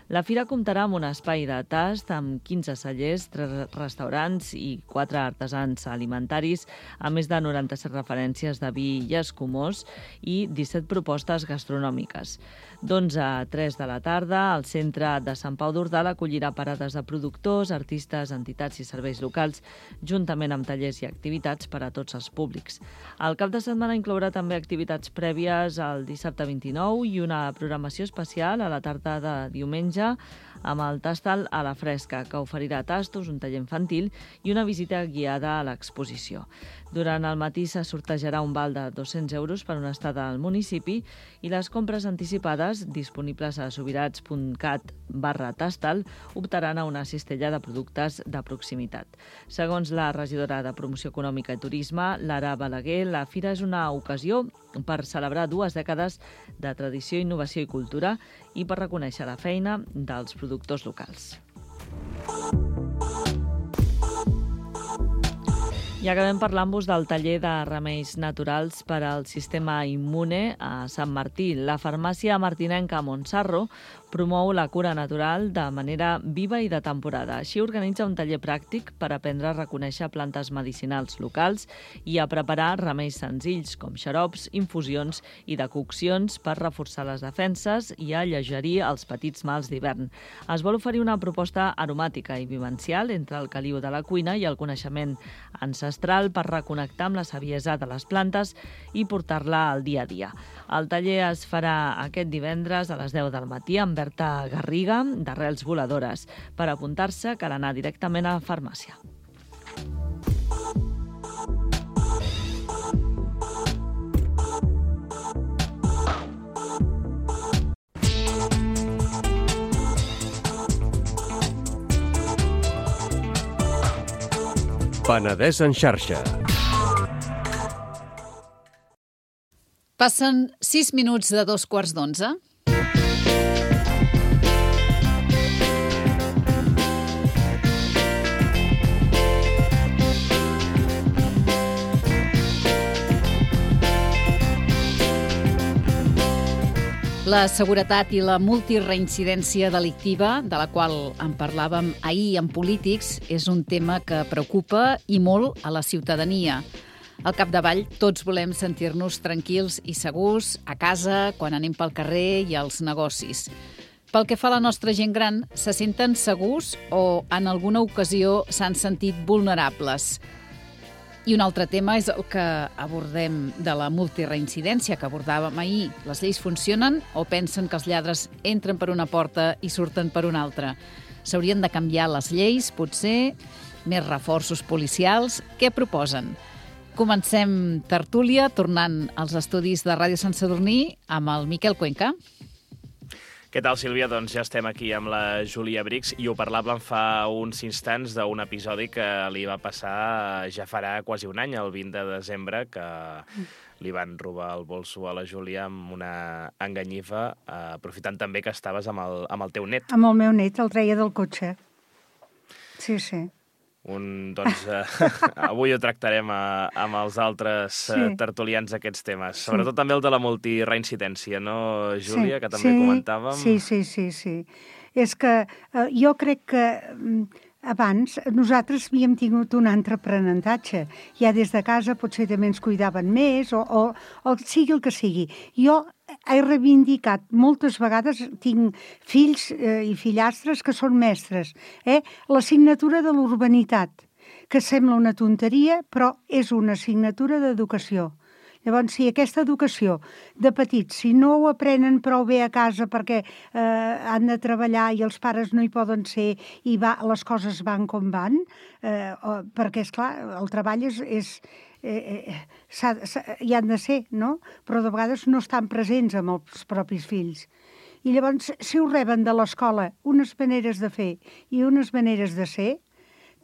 La fira comptarà amb un espai de tast amb quinze cellers, tres restaurants i quatre artesans alimentaris, a més de noranta-set referències de vi i escumós i disset propostes gastronòmiques. D'onze a tres de la tarda, el centre de Sant Pau d'Ordal acollirà parades de productors, artistes, entitats i serveis locals, juntament amb tallers i activitats per a tots els públics. El cap de setmana inclourà també activitats prèvies el dissabte vint-i-nou i una programació especial a la tarda de diumenge amb el Tastal a la Fresca, que oferirà tastos, un taller infantil i una visita guiada a l'exposició. Durant el matí se sortejarà un val de dos-cents euros per una estada al municipi i les compres anticipades, disponibles a subirats punt cat barra tastal, optaran a una cistella de productes de proximitat. Segons la regidora de Promoció Econòmica i Turisme, Lara Balaguer, la fira és una ocasió per celebrar dues dècades de tradició, innovació i cultura i per reconèixer la feina dels productors locals. I acabem parlant-vos del taller de remeis naturals per al sistema immune a Sant Martí. La farmàcia martinenca Montsarro promou la cura natural de manera viva i de temporada. Així organitza un taller pràctic per aprendre a reconèixer plantes medicinals locals i a preparar remeis senzills com xarops, infusions i decoccions per reforçar les defenses i alleugerir els petits mals d'hivern. Es vol oferir una proposta aromàtica i vivencial entre el caliu de la cuina i el coneixement ancestral per reconnectar amb la saviesa de les plantes i portar-la al dia a dia. El taller es farà aquest divendres a les deu del matí amb Berta Garriga, d'Arrels Voladores. Per apuntar-se cal anar directament a la farmàcia. Penedès en xarxa. Passen sis minuts de dos quarts d'onze. La seguretat i la multireincidència delictiva, de la qual en parlàvem ahir en Polítics, és un tema que preocupa i molt a la ciutadania. Al capdavall, tots volem sentir-nos tranquils i segurs a casa, quan anem pel carrer i als negocis. Pel que fa a la nostra gent gran, se senten segurs o en alguna ocasió s'han sentit vulnerables? I un altre tema és el que abordem de la multireincidència que abordàvem ahir. Les lleis funcionen o pensen que els lladres entren per una porta i surten per una altra? S'haurien de canviar les lleis, potser? Més reforços policials? Què proposen? Comencem tertúlia, tornant als estudis de Ràdio Sant Sadurní amb el Miquel Cuenca. Què tal, Sílvia? Doncs ja estem aquí amb la Júlia Brix i ho parlàvem fa uns instants d'un episodi que li va passar ja farà quasi un any, el vint de desembre, que li van robar el bolso a la Júlia amb una enganyifa, eh, aprofitant també que estaves amb el, amb el teu net. Amb el meu net, el treia del cotxe. Sí, sí. Un, doncs, eh, avui ho tractarem a, amb els altres sí. eh, tertulians aquests temes. Sí. Sobretot també el de la multireincidència, no, Júlia, sí. que també sí. comentàvem? Sí, sí, sí, sí. És que eh, jo crec que abans nosaltres havíem tingut un altre aprenentatge. Ja des de casa potser també ens cuidaven més o, o, o sigui el que sigui. Jo he reivindicat moltes vegades, tinc fills eh, i fillastres que són mestres, eh? L'assignatura de l'urbanitat, que sembla una tonteria, però és una assignatura d'educació. Llavors, si aquesta educació de petits, si no ho aprenen prou bé a casa perquè eh, han de treballar i els pares no hi poden ser i va, les coses van com van, eh, o, perquè, esclar, el treball és... és Eh, eh, s'ha, s'ha, hi han de ser, no? Però de vegades no estan presents amb els propis fills. I llavors, si ho reben de l'escola unes maneres de fer i unes maneres de ser,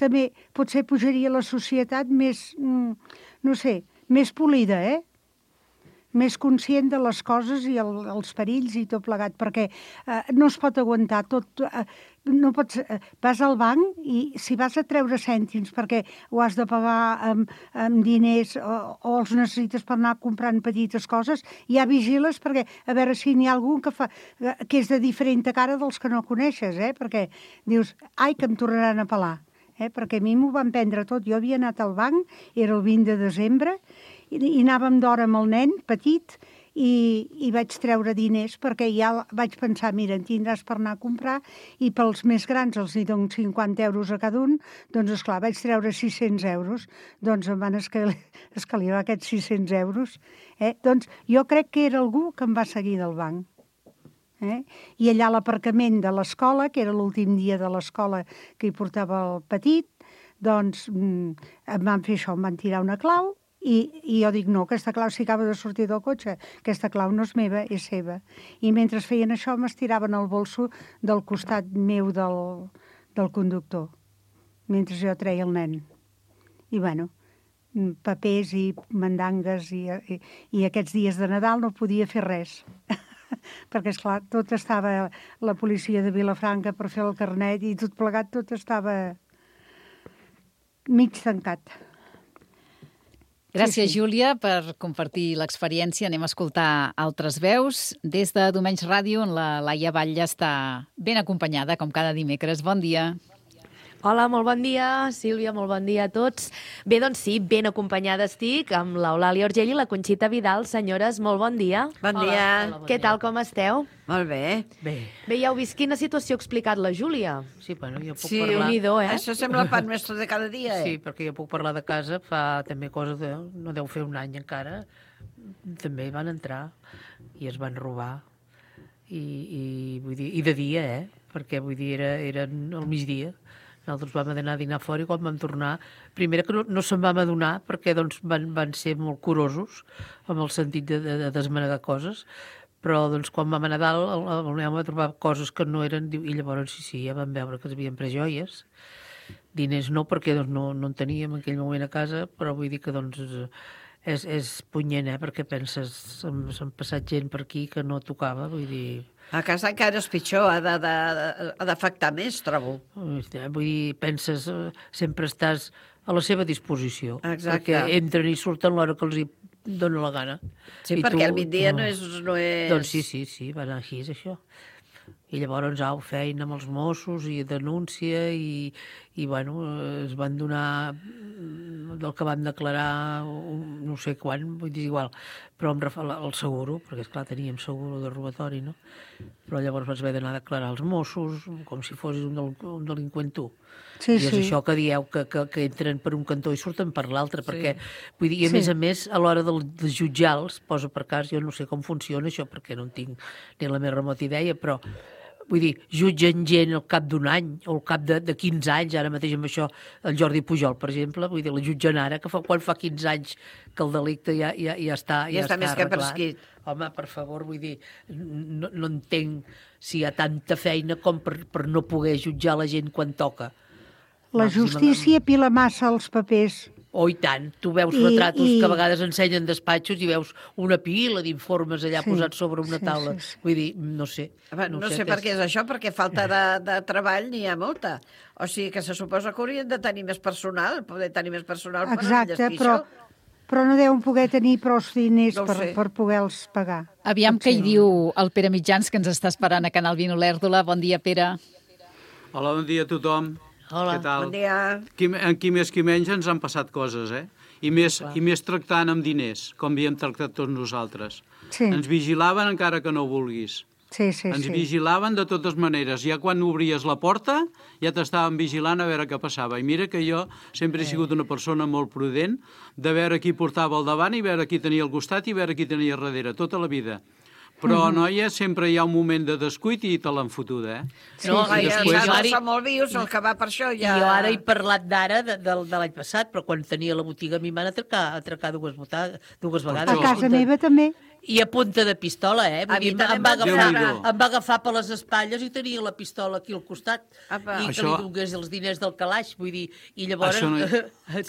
també potser pujaria la societat més, mm, no sé, més polida, eh? Més conscient de les coses i el, els perills i tot plegat, perquè eh, no es pot aguantar tot... Eh, no pots, eh, vas al banc i si vas a treure cèntims perquè ho has de pagar amb, amb diners o, o els necessites per anar comprant petites coses, ja vigiles perquè a veure si n'hi ha algun que, fa, que és de diferent cara dels que no coneixes, eh? Perquè dius, ai, que em tornaran a pelar. Eh? Perquè a mi m'ho van prendre tot. Jo havia anat al banc, era el vint de desembre, i, i anàvem d'hora amb el nen petit i, i vaig treure diners perquè ja vaig pensar, mira, en tindràs per anar a comprar i pels més grans els hi dono cinquanta euros a cada un, doncs esclar, vaig treure sis-cents euros, doncs em van escalivar aquests sis-cents euros. Eh? Doncs jo crec que era algú que em va seguir del banc. Eh? I allà a l'aparcament de l'escola, que era l'últim dia de l'escola que hi portava el petit, doncs em van fer això, em van tirar una clau i, i jo dic, no, aquesta clau si acaba de sortir del cotxe, aquesta clau no és meva, és seva. I mentre feien això m'estiraven el bolso del costat meu del, del conductor, mentre jo treia el nen. I bueno, papers i mandangues i, i, i aquests dies de Nadal no podia fer res. Perquè, esclar, tot estava la policia de Vilafranca per fer el carnet i tot plegat, tot estava mig tancat. Gràcies, sí, sí. Júlia, per compartir l'experiència. Anem a escoltar altres veus. Des de Domenys Ràdio, on la Laia Batlle està ben acompanyada, com cada dimecres. Bon dia. Hola, molt bon dia, Sílvia, molt bon dia a tots. Bé, doncs sí, ben acompanyada estic amb l'Eulàlia Orgell i la Conxita Vidal. Senyores, molt bon dia. Bon dia. Hola, hola, bon Què dia. Tal, com esteu? Molt bé. Bé. Bé, ja heu vist quina situació ha explicat la Júlia? Sí, bueno, jo puc sí, parlar... Sí, eh? Això sembla el pan nostre de cada dia, eh? Sí, perquè jo puc parlar de casa, fa també coses de... no deu fer un any encara. També van entrar i es van robar. I, i, vull dir, i de dia, eh? Perquè, vull dir, era, era al migdia. Nosaltres vam anar a dinar fora i quan vam tornar, primera que no, no se'n vam adonar perquè doncs, van, van ser molt curosos amb el sentit de, de, de desmanegar coses, però doncs, quan vam anar a dalt el, el meu va trobar coses que no eren, i llavors sí, sí, ja vam veure que es havien pres joies diners no, perquè doncs, no, no en teníem en aquell moment a casa, però vull dir que doncs és, és punyent, eh? Perquè penses, s'han passat gent per aquí que no tocava, vull dir... A casa encara és pitjor, ha de- de- ha d'afectar més, trobo. Vull dir, penses, eh, sempre estàs a la seva disposició. Exacte. Perquè entren i surten l'hora que els hi dóna la gana. Sí, I perquè tu- el migdia no és... No és... Doncs sí, sí, sí, va anar així, és això. I llavors, au, feina amb els Mossos i denúncia i, i bueno, es van donar del que van declarar un, no sé quan, vull dir, igual, però em refa el seguro, perquè esclar, teníem seguro de robatori, no? Però llavors vas haver d'anar a declarar als Mossos com si fossis un, del, un delinqüent tu. Sí, I és sí. això que dieu, que, que, que entren per un cantó i surten per l'altre, perquè, vull dir, i a Sí. més a més, a l'hora de, de jutjar-los, posa per cas, jo no sé com funciona això, perquè no en tinc ni la més remota idea, però vull dir, jutgen gent al cap d'un any o al cap de, de quinze anys, ara mateix amb això, el Jordi Pujol, per exemple, vull dir, la jutgen ara, que fa, quan fa quinze anys que el delicte ja, ja, ja està Ja està més que arreglat. prescrit. Home, per favor, vull dir, no, no entenc si hi ha tanta feina com per, per no poder jutjar la gent quan toca. La Màxima- justícia pila massa els papers. Oh, i tant. Tu veus I- retratos i- que a vegades ensenyen despatxos i veus una pila d'informes allà Sí, posats sobre una sí, taula. sí, sí. Vull dir, no sé. Home, no, no sé per què és això, perquè falta de, de treball n'hi ha molta. O sigui que se suposa que haurien de tenir més personal, poder tenir més personal per Exacte, enllestir però, això. però no deuen poder tenir prou diners No ho per, sé. per poder-los pagar. Aviam què hi Potser. diu el Pere Mitjans, que ens està esperant a Canal vint Olèrdola. Bon dia, Pere. Hola, bon dia a tothom. Hola. Què tal? Bon dia. Qui, en qui més qui menys ens han passat coses, eh? I més, I més tractant amb diners, com havíem tractat tots nosaltres. Sí, Ens vigilaven encara que no ho vulguis. sí, sí. Ens sí. vigilaven de totes maneres. Ja quan obries la porta, ja t'estaven vigilant a veure què passava. I mira que jo sempre he sigut una persona molt prudent de veure qui portava al davant i veure qui tenia al costat i veure qui tenia al darrere, tota la vida. Però, noia, sempre hi ha un moment de descuit i te l'han fotuda, eh? No, I i els després- arbres són molt vius, el que va per això I ja... jo ara he parlat d'ara, de, de, de l'any passat, però quan tenia la botiga a mi em van atracar, atracar dues, vota- dues vegades. A casa meva també. I a punta de pistola, eh? Vull A mi dir, també em, va em van agafar, Déu-n'hi-do. em va agafar per les espatlles i tenia la pistola aquí al costat. Apa. I que Això- li donés els diners del calaix, vull dir. I llavors... Això no-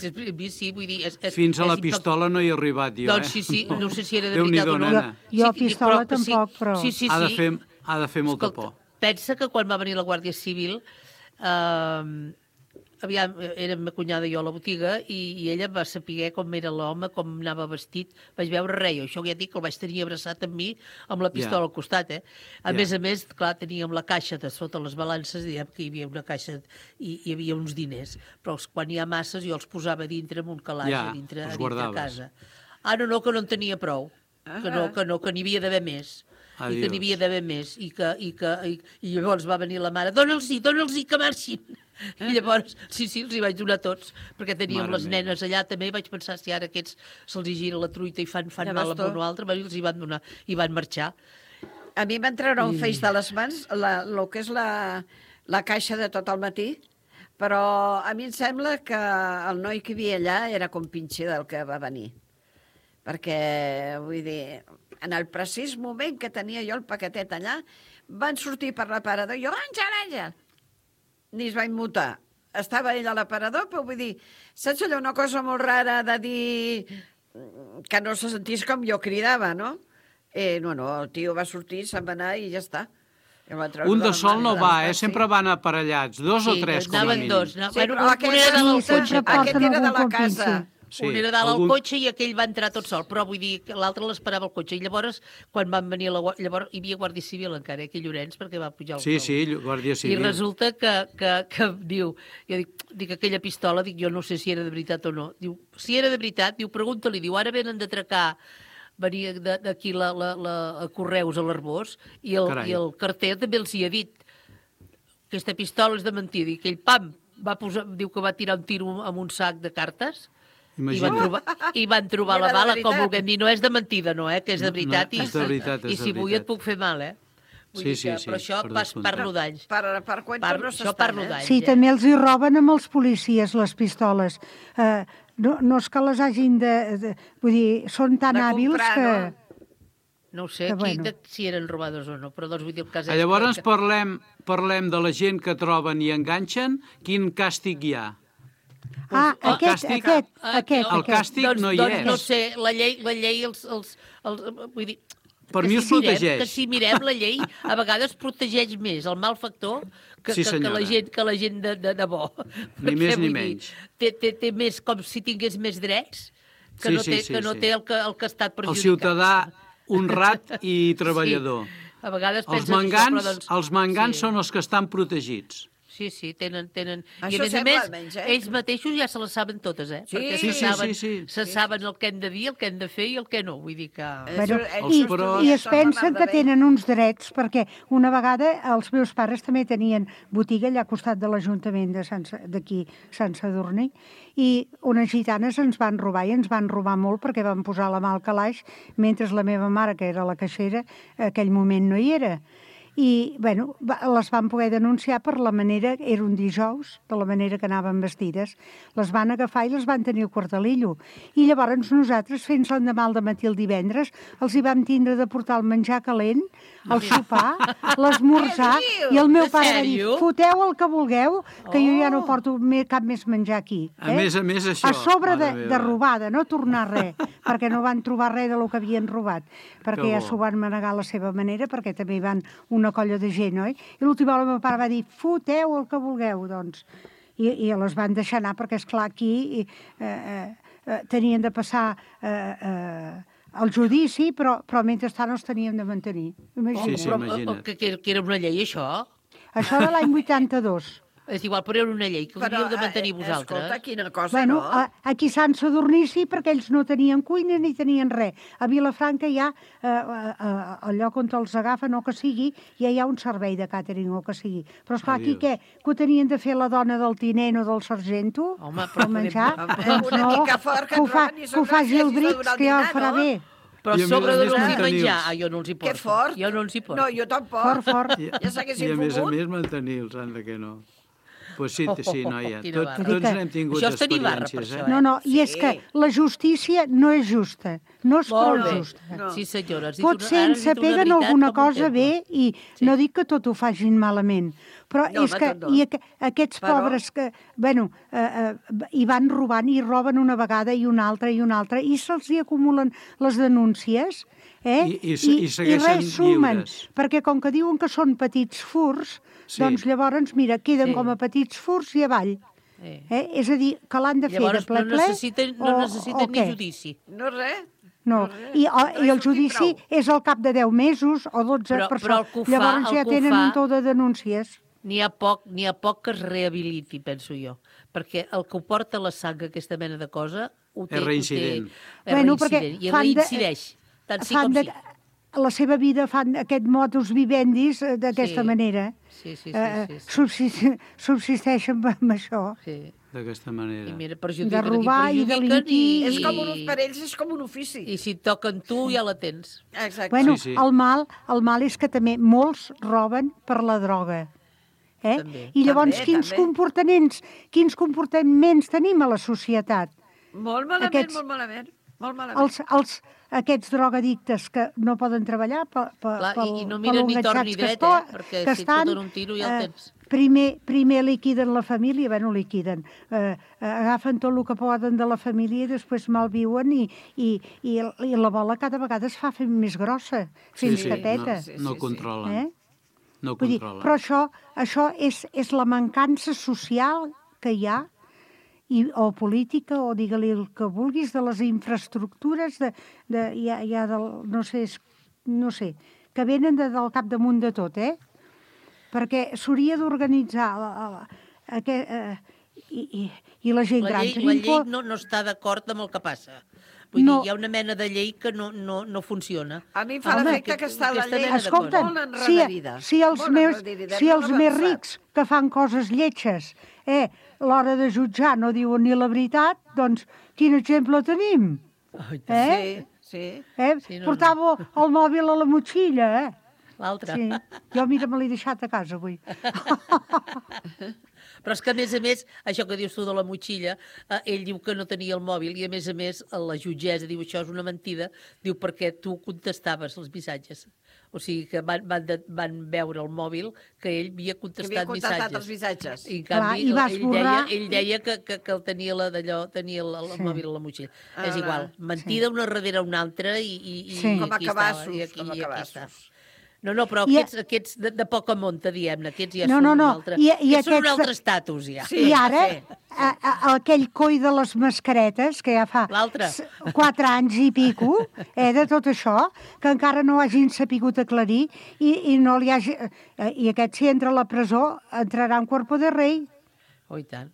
sí, vull dir... És, és, Fins a la és pistola no hi he arribat, jo, Doncs eh? sí, sí, no sé si era de Déu-n'hi-do, veritat o no. nena. Jo- jo Sí, pistola però- tampoc, però- Sí, sí, sí. Ha de fer, ha de fer molta Escolta, por. pensa que quan va venir la Guàrdia Civil, eh, aviam, era ma cunyada i jo a la botiga i, i ella va saber com era l'home, com anava vestit. Vaig veure res, jo això ja dic que el vaig tenir abraçat amb mi amb la pistola Ja. al costat, eh? A Ja. més a més, clar, teníem la caixa de sota les balances, diguem que hi havia una caixa i hi havia uns diners, però els, quan hi ha masses jo els posava dintre en un calaix, Ja, a dintre, a els dintre guardaves. casa. Ah, no, no, que no en tenia prou, que no, que no, que n'hi havia d'haver més. I que Adiós. n'hi havia d'haver més, i, que, i, que, i, i llavors va venir la mare, dona'ls-hi, dona'ls-hi, que marxin. I llavors, sí, sí, els hi vaig donar tots, perquè teníem Mare les meva. nenes allà també, vaig pensar si ara aquests se'ls hi gira la truita i fan, fan Ja mal veus amb tu. un o altre, va, i els hi van donar, i van marxar. A mi em van treure un feix de les mans, la, el que és la, la caixa de tot el matí, però a mi em sembla que el noi que hi havia allà era com pinxer del que va venir. Perquè, vull dir, en el precís moment que tenia jo el paquetet allà, van sortir per l'aparador, i jo, Àngel, Àngel! Ni es va immutar. Estava ell a l'aparador, però vull dir, saps allò, una cosa molt rara de dir que no se sentís com jo cridava, no? Eh, no, no, el tio va sortir, se'n va anar i ja està. El va treure Un de les sol mans no de va, les eh? mans, Sempre van aparellats, dos o tres, com a anaven mínim. dos. No? Sí, Bueno, però un, aquest un era dalt al sí, sempre cotxe, porten aquest era de algun la casa. compinxi. Sí, un era dalt algun- al cotxe i aquell va entrar tot sol, però vull dir que l'altre l'esperava al cotxe. I llavors, quan van venir la guàrdia, llavors hi havia Guàrdia Civil encara, eh, aquí a Llorenç, perquè va pujar el Sí, el- sí, Guàrdia I Civil. resulta que, que, que diu, jo dic, dic, aquella pistola, dic, jo no sé si era de veritat o no. Diu, si era de veritat, diu, pregunta-li, diu, ara venen d'atracar, venia de- d'aquí la, la, la, a Correus, a l'Arbós, i el, Carai. i el carter també els hi ha dit, aquesta pistola és de mentida, i aquell pam, va posar, diu que va tirar un tiro amb un sac de cartes, i van Imagina't. trobar, i van trobar Era la de bala, com veritat. vulguem dir, no és de mentida, no, eh, que és de No, veritat, no, i, és de veritat, és i de si vull veritat. et puc fer mal, eh? Vull Sí, dir sí, que, sí, però això per pas, descomptat. parlo d'anys. Per, per cuento Par- no això s'estan, parlo eh? d'anys. Sí, també els hi roben amb els policies les pistoles. Eh, no, no és que les hagin de, de... Vull dir, són tan De hàbils comprar, que... no? No ho sé Que, qui, bueno. de, si eren robadors o no, però doncs vull dir el cas és... Llavors que- parlem, parlem de la gent que troben i enganxen, quin càstig hi ha? Ah, el aquest, càstig- aquest, Ah, aquest, el aquest. càstig doncs, no hi doncs, és. no sé, la llei, la llei els, els, els, els, vull dir, Per que mi si els mirem, protegeix. que si mirem la llei, a vegades protegeix més el malfactor que, Sí, que, que senyora. la gent, que la gent de, de, de bo. Ni Perquè, més ni vull dir, menys. Té, té, té més, com si tingués més drets que Sí, no sí, té, sí, que no sí. té el que, el que ha estat El perjudicat. ciutadà honrat i treballador. Sí. A vegades Els penses això, mangans, però doncs... els mangans sí. són els que estan protegits. Sí, sí, tenen... tenen... I Això a més a sembla, més, almenys, eh? ells mateixos ja se les saben totes, eh? Sí, Perquè sí, se sí, saben, sí, sí. se saben el que hem de dir, el que hem de fer i el que no. Vull dir que... Bueno, Ells i, pros- I es pensen que tenen uns drets, perquè una vegada els meus pares també tenien botiga allà al costat de l'Ajuntament de Sant Sa- d'aquí, Sant Sadurní, i unes gitanes ens van robar, i ens van robar molt perquè van posar la mà al calaix, mentre la meva mare, que era la caixera, en aquell moment no hi era. I, bueno, va- les van poder denunciar per la manera, era un dijous, de la manera que anaven vestides. Les van agafar i les van tenir al quartelillo. I llavors nosaltres, fent l'endemà al matí el divendres, els hi vam tindre de portar el menjar calent, el sopar, l'esmorzar, i el meu En pare va dir, sèrio? foteu el que vulgueu, que jo ja no Oh. porto me- cap més menjar aquí. A més a més, això, A sobre de, mare de meva. robada, no tornar res, perquè no van trobar res del que havien robat, perquè Que ja bo. s'ho van manegar a la seva manera, perquè també hi van una colla de gent, oi? I l'última hora el meu pare va dir, foteu el que vulgueu, doncs. I, i les van deixar anar, perquè, esclar, aquí i, eh, eh, tenien de passar eh, eh, el judici, però, però mentrestant els teníem de mantenir. Imagina't. Sí, sí, Però, imagina't. o- que, que, que era una llei, això? Això de l'any vuitanta-dos. És igual, però era una llei que hauríeu de mantenir eh, vosaltres. Escolta, quina cosa, Bueno, no? a, aquí a Sant Sadurní sí, perquè ells no tenien cuina ni tenien res. A Vilafranca hi ha, eh, eh, el lloc on els agafen, o que sigui, ja hi ha un servei de càtering, o que sigui. Però, esclar, aquí Adiós. què? Que ho tenien de fer la dona del tinent o del sargento? Home, però per menjar? podem- Doncs Una no, mica fort, que que ho, et fa, roben i que ho sabràs faci si el has de Brix, donar que ja el dinar, farà no? bé. Però I a a sobre més a de més donar-los mantenir-los. menjar, ah, jo no els hi porto. Que fort. Jo no els hi porto. No, jo tampoc. Fort, fort. I, Ja s'haguessin I a més a fumut. més mantenir-los, anda que no. Pues sí, sí, noia. Quina Tot, barra. tots n'hem tingut Això és tenir barra, per experiències, això, eh? No, no, i és Sí. que la justícia no és justa, no és prou Molt bé. justa. No. Sí, senyora. has dit Pot una- ser ara has ens dit una peguen veritat alguna com un cosa temple. bé i Sí. no dic que tot ho facin malament, però No, és home, que tot no. i aqu aquests Però- pobres que, bueno, eh, eh, hi van robant i roben una vegada i una altra i una altra i se'ls hi acumulen les denúncies, eh? I- i se- i segueixen res sumen, lliures. perquè com que diuen que són petits furs, Sí. doncs llavors, mira, queden Sí. com a petits furs i avall. Eh. Eh? És a dir, que l'han de fer Llavors de ple no ple necessiten, no o- necessiten o ni què? judici. No res. No, i, o, No i el hi sortim judici prou. és al cap de deu mesos o dotze, Però- per però això. el que ho fa- Llavors el ja que ho tenen fa- un tou de denúncies. N'hi ha poc, n'hi ha poc que es rehabiliti, penso jo. Perquè el que ho porta a la sang, aquesta mena de cosa, ho té... És ho té- reincident. És Bueno, reincident. perquè I fan de- reincideix, tant sí fan com de, sí. la seva vida fan aquest modus vivendis eh, d'aquesta Sí. manera. Sí, sí, sí. Eh, sí, sí. subsist, subsisteixen amb això. sí. D'aquesta I manera. mira, De perjudiquen robar aquí, i perjudiquen delinquir. És com un, per ells és com un ofici. I si et toquen tu, ja la tens. Exacte. Bueno, Sí, sí. el mal, el mal és que també molts roben per la droga. Eh? També. I llavors, També, quins també. comportaments, quins comportaments tenim a la societat? Molt malament, Aquests- molt malament. Molt malament. Els, els, aquests drogadictes que no poden treballar pe, pe, Clar, pel, i- i no pel miren ni enganxats tort ni que dret, esto- eh? Perquè que si et estan, foten un tiro ja el tens. primer, primer liquiden la família, bé, no liquiden, eh, eh, agafen tot el que poden de la família i després malviuen i, i, i, i la bola cada vegada es fa fent més grossa, fins sí, que no, peta. Sí, no sí, sí. controlen. Eh? No Vull dir, controlen. però això, això és, és la mancança social que hi ha, i, o política, o digue-li el que vulguis, de les infraestructures, de, de, ja, ja del, no sé, és- no sé, que venen de, del capdamunt de tot, eh? Perquè s'hauria d'organitzar la- la- aquest, eh, i, i, i la gent La gran. llei, la Tenim llei por- no, no està d'acord amb el que passa. Vull No. dir, hi ha una mena de llei que no, no, no funciona. A mi em fa Home, l'efecte que està la aquesta llei mena de Escolta, coses. molt si, enrederida. si els, Molt meus, enrederida, si no els ha més avançat. rics que fan coses lletges, eh, a l'hora de jutjar no diuen ni la veritat, doncs quin exemple tenim? Eh? Sí, sí. Eh? Sí, no, Portava el mòbil a la motxilla, eh? L'altre. Sí. Jo, mira, me l'he deixat a casa avui. Però és que, a més a més, això que dius tu de la motxilla, eh, ell diu que no tenia el mòbil i, a més a més, la jutgessa diu això és una mentida, diu perquè tu contestaves els missatges. O sigui que van, van, de, van veure el mòbil que ell havia contestat, que havia contestat missatges. els missatges. I en canvi, Clar, i ell, borrar... deia, ell deia que, que, que el tenia la d'allò, tenia el, el Sí. mòbil a la motxilla. Ah, és igual, mentida sí. una darrere una altra i, i, i Sí. i Com a aquí cabassos, estava, i aquí, com a i aquí cabassos. està. No, no, però I- aquests, aquests de, de poca monta, diguem-ne, aquests ja No, són no, no. un altre, I- i aquests són un aquests- altre estatus, ja. Sí. I ara, sí. a, a, aquell coi de les mascaretes, que ja fa L'altre. s- quatre anys i pico, eh, de tot això, que encara no hagin sapigut aclarir, i, i no li hagi... Eh, I aquest, si entra a la presó, entrarà en cuerpo de rei. Oh, i tant.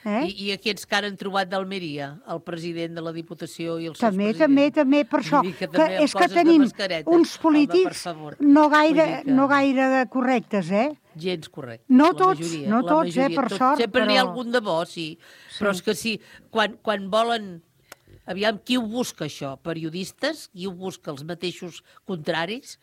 Eh? I, I aquests que ara han trobat d'Almeria, el president de la Diputació i els També, seus també, presidents. també, per això, Vull dir que que també amb és que coses de tenim mascaretes. uns Home, polítics per favor. no gaire, Vull dir que- no gaire correctes, eh? Gens correcte. No la tots, majoria, no la tots, eh, majoria, per tot. sort, Sempre n'hi ha però- algun de bo, sí. Però és que sí, quan, quan volen... Aviam, qui ho busca, això? Periodistes? Qui ho busca? Els mateixos contraris?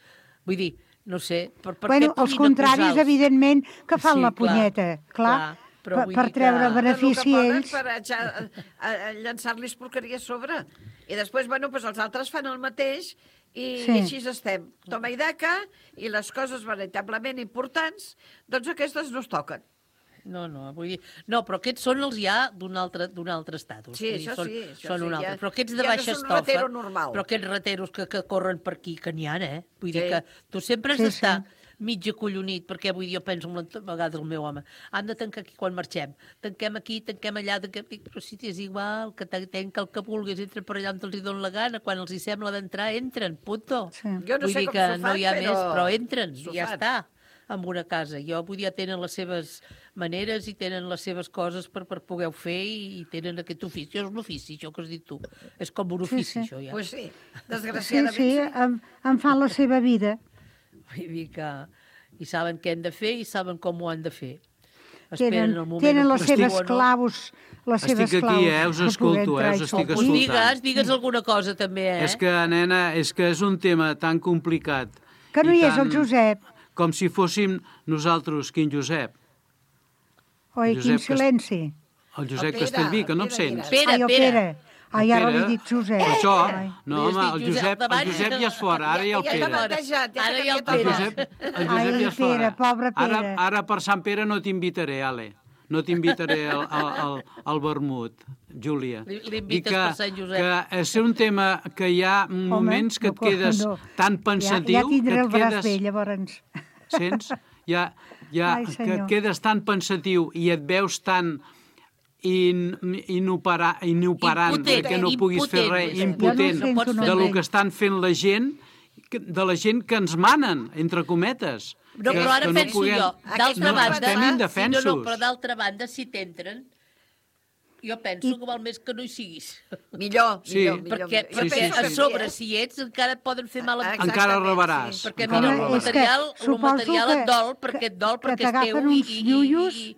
Vull dir, no sé, per, per Bueno, què els puguin contraris, acusar-los? evidentment, que fan Sí, la clar, punyeta, clar, clar, però per, vull per dir que- treure Tot benefici el a que poden ells. per atxa- a, a llançar-los porqueria a sobre. I després, bueno, doncs els altres fan el mateix i Sí. així estem. Toma i daca, i les coses veritablement importants, doncs aquestes no es toquen. No, no, vull dir... No, però aquests són els ja d'un altre, d'un altre estatus. Sí, Vull dir, això són, sí, això són sí, un altre. ja- Però aquests de ja no baixa són un estofa... ratero normal. Però aquests rateros que, que corren per aquí, que n'hi ha, eh? Vull dir Sí. que tu sempre has Sí, d'estar sí. mig acollonit, perquè vull dir, jo penso a vegades el meu home, han de tancar aquí quan marxem. Tanquem aquí, tanquem allà, tanquem... Dic, però si és igual, que tanca el que vulguis, entren per allà on els hi donen la gana, quan els hi sembla d'entrar, entren, punto. Sí. Jo no vull sé dir com que s'ho fan, no hi ha però... més, però entren, s'ho i ja fan. està, en una casa. Jo vull dir, ja tenen les seves maneres i tenen les seves coses per, per poder fer i, i tenen aquest ofici. És un ofici, això que has dit tu. És com un Sí, ofici, sí. això ja. Pues sí, Sí, desgraciadament sí, en, en fan la seva vida. Vull dir que... I saben què han de fer i saben com ho han de fer. Tenen, el moment tenen les oportú seves o no. claus, les Estic seves aquí, claus. eh? Us per escolto, poder eh? entrar Us i estic sortir. Pues escoltant. digues, digues alguna cosa també, eh? És que, nena, és que és un tema tan complicat. Que no i hi és tan- el Josep. Com si fóssim nosaltres, quin Josep? Oi, Josep quin Cast- silenci. El Josep El Pere, Castellví, que no el em Pere, sents? mira. Pere, Ai, el Pere. Pere. Ai, ara Pere. li he dit Josep. Per això, Ai. no, Li has home, dit el Josep Josep, el davant. Josep ja és fora, ara hi ha el Ja Pere. t'ha batejat, ja Ara t'ha hi ha el canviat El Pere. Josep, el Josep Ai, ja és fora. Pere, pobre Pere. Ara, ara per Sant Pere no t'invitaré, Ale. No t'invitaré al, al, al, al vermut, Júlia. Li- l'invites I que, per Sant Josep. que és un tema que hi ha moments que et no, quedes no. tan pensatiu... Ja, ja tindré que el et braç quedes, bé, llavors. Sents? Ja, ja Ai, que senyor. et quedes tan pensatiu i et veus tan in, inopera, inoperant Impotent, perquè no puguis fer impotent, res, Josep. impotent Jo no ho sento, de no. lo que estan fent la gent, que- de la gent que ens manen, entre cometes. No, que, però ara que penso puguem- jo, d'altra no, banda... estem Sí, indefensos. no, no, però d'altra banda, si t'entren, jo penso I- que val més que no hi siguis. Millor, Sí. millor, millor. Perquè, millor. sí, perquè sí, a sí. sobre, si ets, encara et poden fer mal a tu. Exactament, Encara sí. rebaràs. Perquè encara mira, Home, el és que rebaràs. material, el suposo material que- et dol, perquè que- et dol, que perquè és teu. t'agafen I, uns i, llullos, i, i,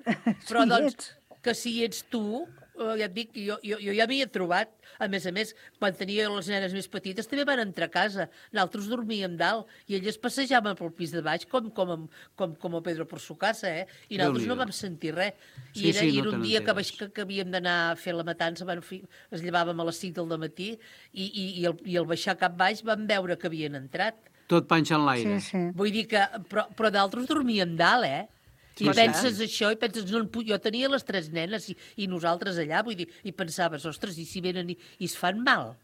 però si doncs, ets. que si ets tu, eh, ja et dic, jo, jo, jo ja m'hi he trobat. A més a més, quan tenia les nenes més petites també van entrar a casa. Nosaltres dormíem dalt i elles passejaven pel pis de baix com, com, com, com a Pedro por su casa, eh? I nosaltres no Déu-n'hi-do. vam sentir res. I Sí, era, sí, i no era te un dia que, n'enteres. vaig, que, que havíem d'anar a fer la matança, van fi, es llevàvem a les cinc del matí i, i, i, el, i al baixar cap baix vam veure que havien entrat. Tot panxa en l'aire. Sí, sí. Vull dir que... Però, però d'altres dormíem dalt, eh? Sí, I sí. penses això, i penses... No, en pu- jo tenia les tres nenes i, i nosaltres allà, vull dir, i pensaves, ostres, i si venen i, i es fan mal?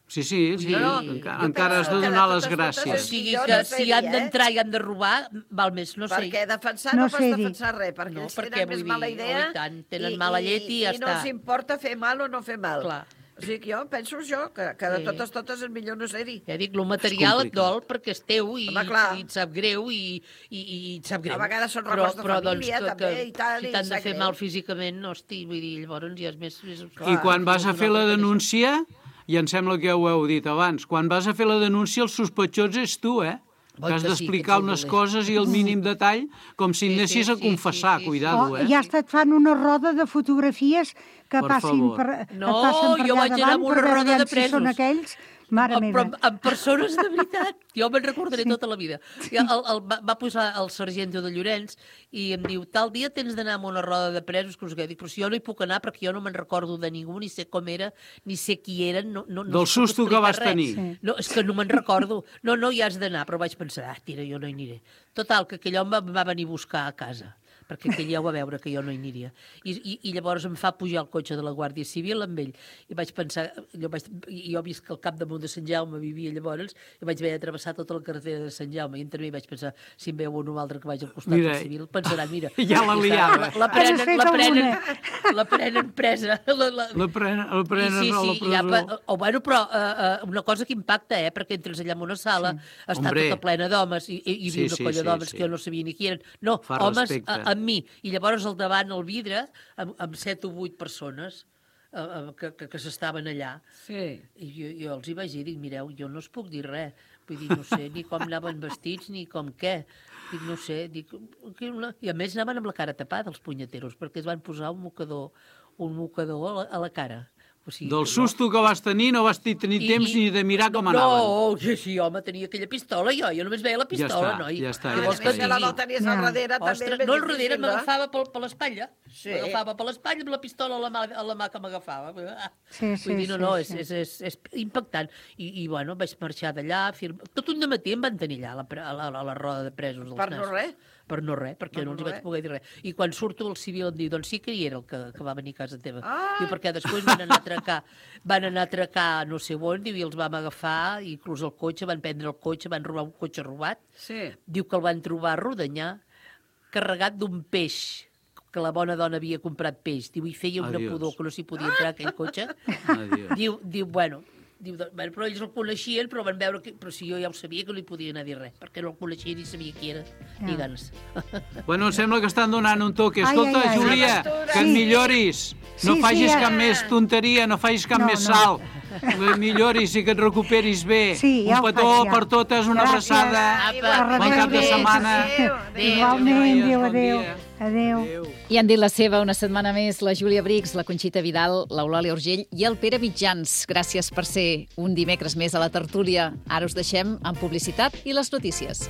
Sí, sí, sí. No, no, encara, jo encara has de penso que donar de les totes totes O gràcies. és- sigui jo que no si sé han dir, eh? d'entrar i han de robar, val més no sé. Perquè defensar No no, pots sé dir. defensar res, perquè No, ells perquè tenen vull més dir, mala oh, idea i tant, tenen mala llet i ja i no està. els importa fer mal o no fer mal. Clar. O sigui que jo penso això, que, que de Sí. totes totes és millor no ser-hi. Ja dic, el material et complicat. dol perquè és teu i, Home, clar. i et sap greu i, i, i et sap greu. A vegades són però, records de però, família, doncs, que, també, que, i tal, si i t'han de sap fer greu. mal físicament, hosti, vull dir, llavors ja és més... més I quan vas a fer la denúncia, i em sembla que ja ho heu dit abans, quan vas a fer la denúncia el sospitós és tu, eh? Oi Que has que sí, d'explicar que ets unes el coses i el mínim detall com si Sí, anessis sí, a sí, confessar, sí, sí, cuidado, Oh, eh? ja està, et fan una roda de fotografies que Per passin favor. per, No, que passen per jo allà vaig anar davant amb per una veure roda de aviam si són presos. aquells. Mare Amb, meva. amb, amb persones de veritat. Jo me'n recordaré sí. tota la vida. I el, el, va, va posar el sergento de Llorenç i em diu, tal dia tens d'anar amb una roda de presos, que us dic, però si jo no hi puc anar perquè jo no me'n recordo de ningú, ni sé com era, ni sé qui eren. No, no, no Del susto que vas res. tenir. Sí. No, és que no me'n recordo. No, no, hi has d'anar, però vaig pensar, ah, tira, jo no hi aniré. Total, que aquell home va venir a buscar a casa, perquè aquell ja ho va veure que jo no hi aniria. I, i, i llavors em fa pujar el cotxe de la Guàrdia Civil amb ell. I vaig pensar, jo, vaig, jo he vist que al cap damunt de Sant Jaume vivia llavors, i vaig haver de travessar tota la carretera de Sant Jaume, i entre mi vaig pensar, si em veu un o altre que vaig al costat Mira, del civil, pensaran, mira... ja la liava. La, la prenen, Has fet la prenen, alguna. la prenen presa. La, la, La prenen, la prenen sí, a la sí, presó. ja, pa- o, bueno, però uh, uh, una cosa que impacta, eh? Perquè entres allà en una sala, sí. està Hombre. tota plena d'homes, i, i, i Sí, una sí, colla sí, d'homes sí. que jo no sabia ni qui eren. No, Fa homes respecte. a, amb mi. I llavors al davant, al vidre, amb, amb set o vuit persones uh, uh, que, que, que s'estaven allà. Sí. I jo, jo els hi vaig dir, dic, mireu, jo no us puc dir res. Vull dir, no sé ni com anaven vestits, ni com què. Dic, no sé, dic... que una- I a més anaven amb la cara tapada, els punyeteros, perquè es van posar un mocador, un mocador a la, a la cara. O sigui, Del que susto que vas tenir no vas tenir I- temps i- ni de mirar com no, anaven. No, sí, sí, home, tenia aquella pistola jo, jo només veia la pistola, està, noi. ja està, Què ja vols està, que ja et Si la digui? del tenies al Ja. darrere, també Ostres, és ben no, al darrere difícil, no? m'agafava per, per l'espatlla. Sí. M'agafava per l'espatlla amb la pistola a la mà, a la mà que m'agafava. Ah. Sí, sí, Vull dir, no, sí, no, sí. és, és, és, és impactant. I, I, bueno, vaig marxar d'allà, firma... tot un dematí em van tenir allà, a la, pre- a la, a la roda de presos. dels Per no nassos. res? Per no res, perquè Per no els hi no vaig res. poder dir res. I quan surto el civil em diu, doncs sí que hi era el que, que va venir a casa teva. Ah! Diu, perquè després van anar a atracar, van anar a atracar no sé on, diu, i els vam agafar, i inclús el cotxe, van prendre el cotxe, van robar un cotxe robat. Sí. Diu que el van trobar a Rodonyà, carregat d'un peix, que la bona dona havia comprat peix. Diu, i feia una Adiós. pudor que no s'hi podia entrar aquell cotxe. Adiós. Diu, diu, bueno, diu, doncs, bueno, però ells el coneixien, però van veure que... Però si jo ja ho sabia, que no li podia anar a dir res, perquè no el coneixia ni sabia qui era, ni Ja. ganes. Bueno, em sembla que estan donant un toque. Ai, Escolta, ai, ai. Júlia, que et Sí. milloris. No Sí, sí, facis ja. cap més tonteria, no facis cap No, més no. salt. Que et milloris i que et recuperis bé. Sí, ja un ho petó faig, ja. per totes, una Gràcies. abraçada. Apa, bon cap de adéu. setmana. Adéu, adéu. Igualment, noies, adéu, bon adéu. dia. Adéu. Adéu. I han dit la seva una setmana més la Júlia Brix, la Conxita Vidal, l'Eulàlia Urgell i el Pere Mitjans. Gràcies per ser un dimecres més a la tertúlia. Ara us deixem amb publicitat i les notícies.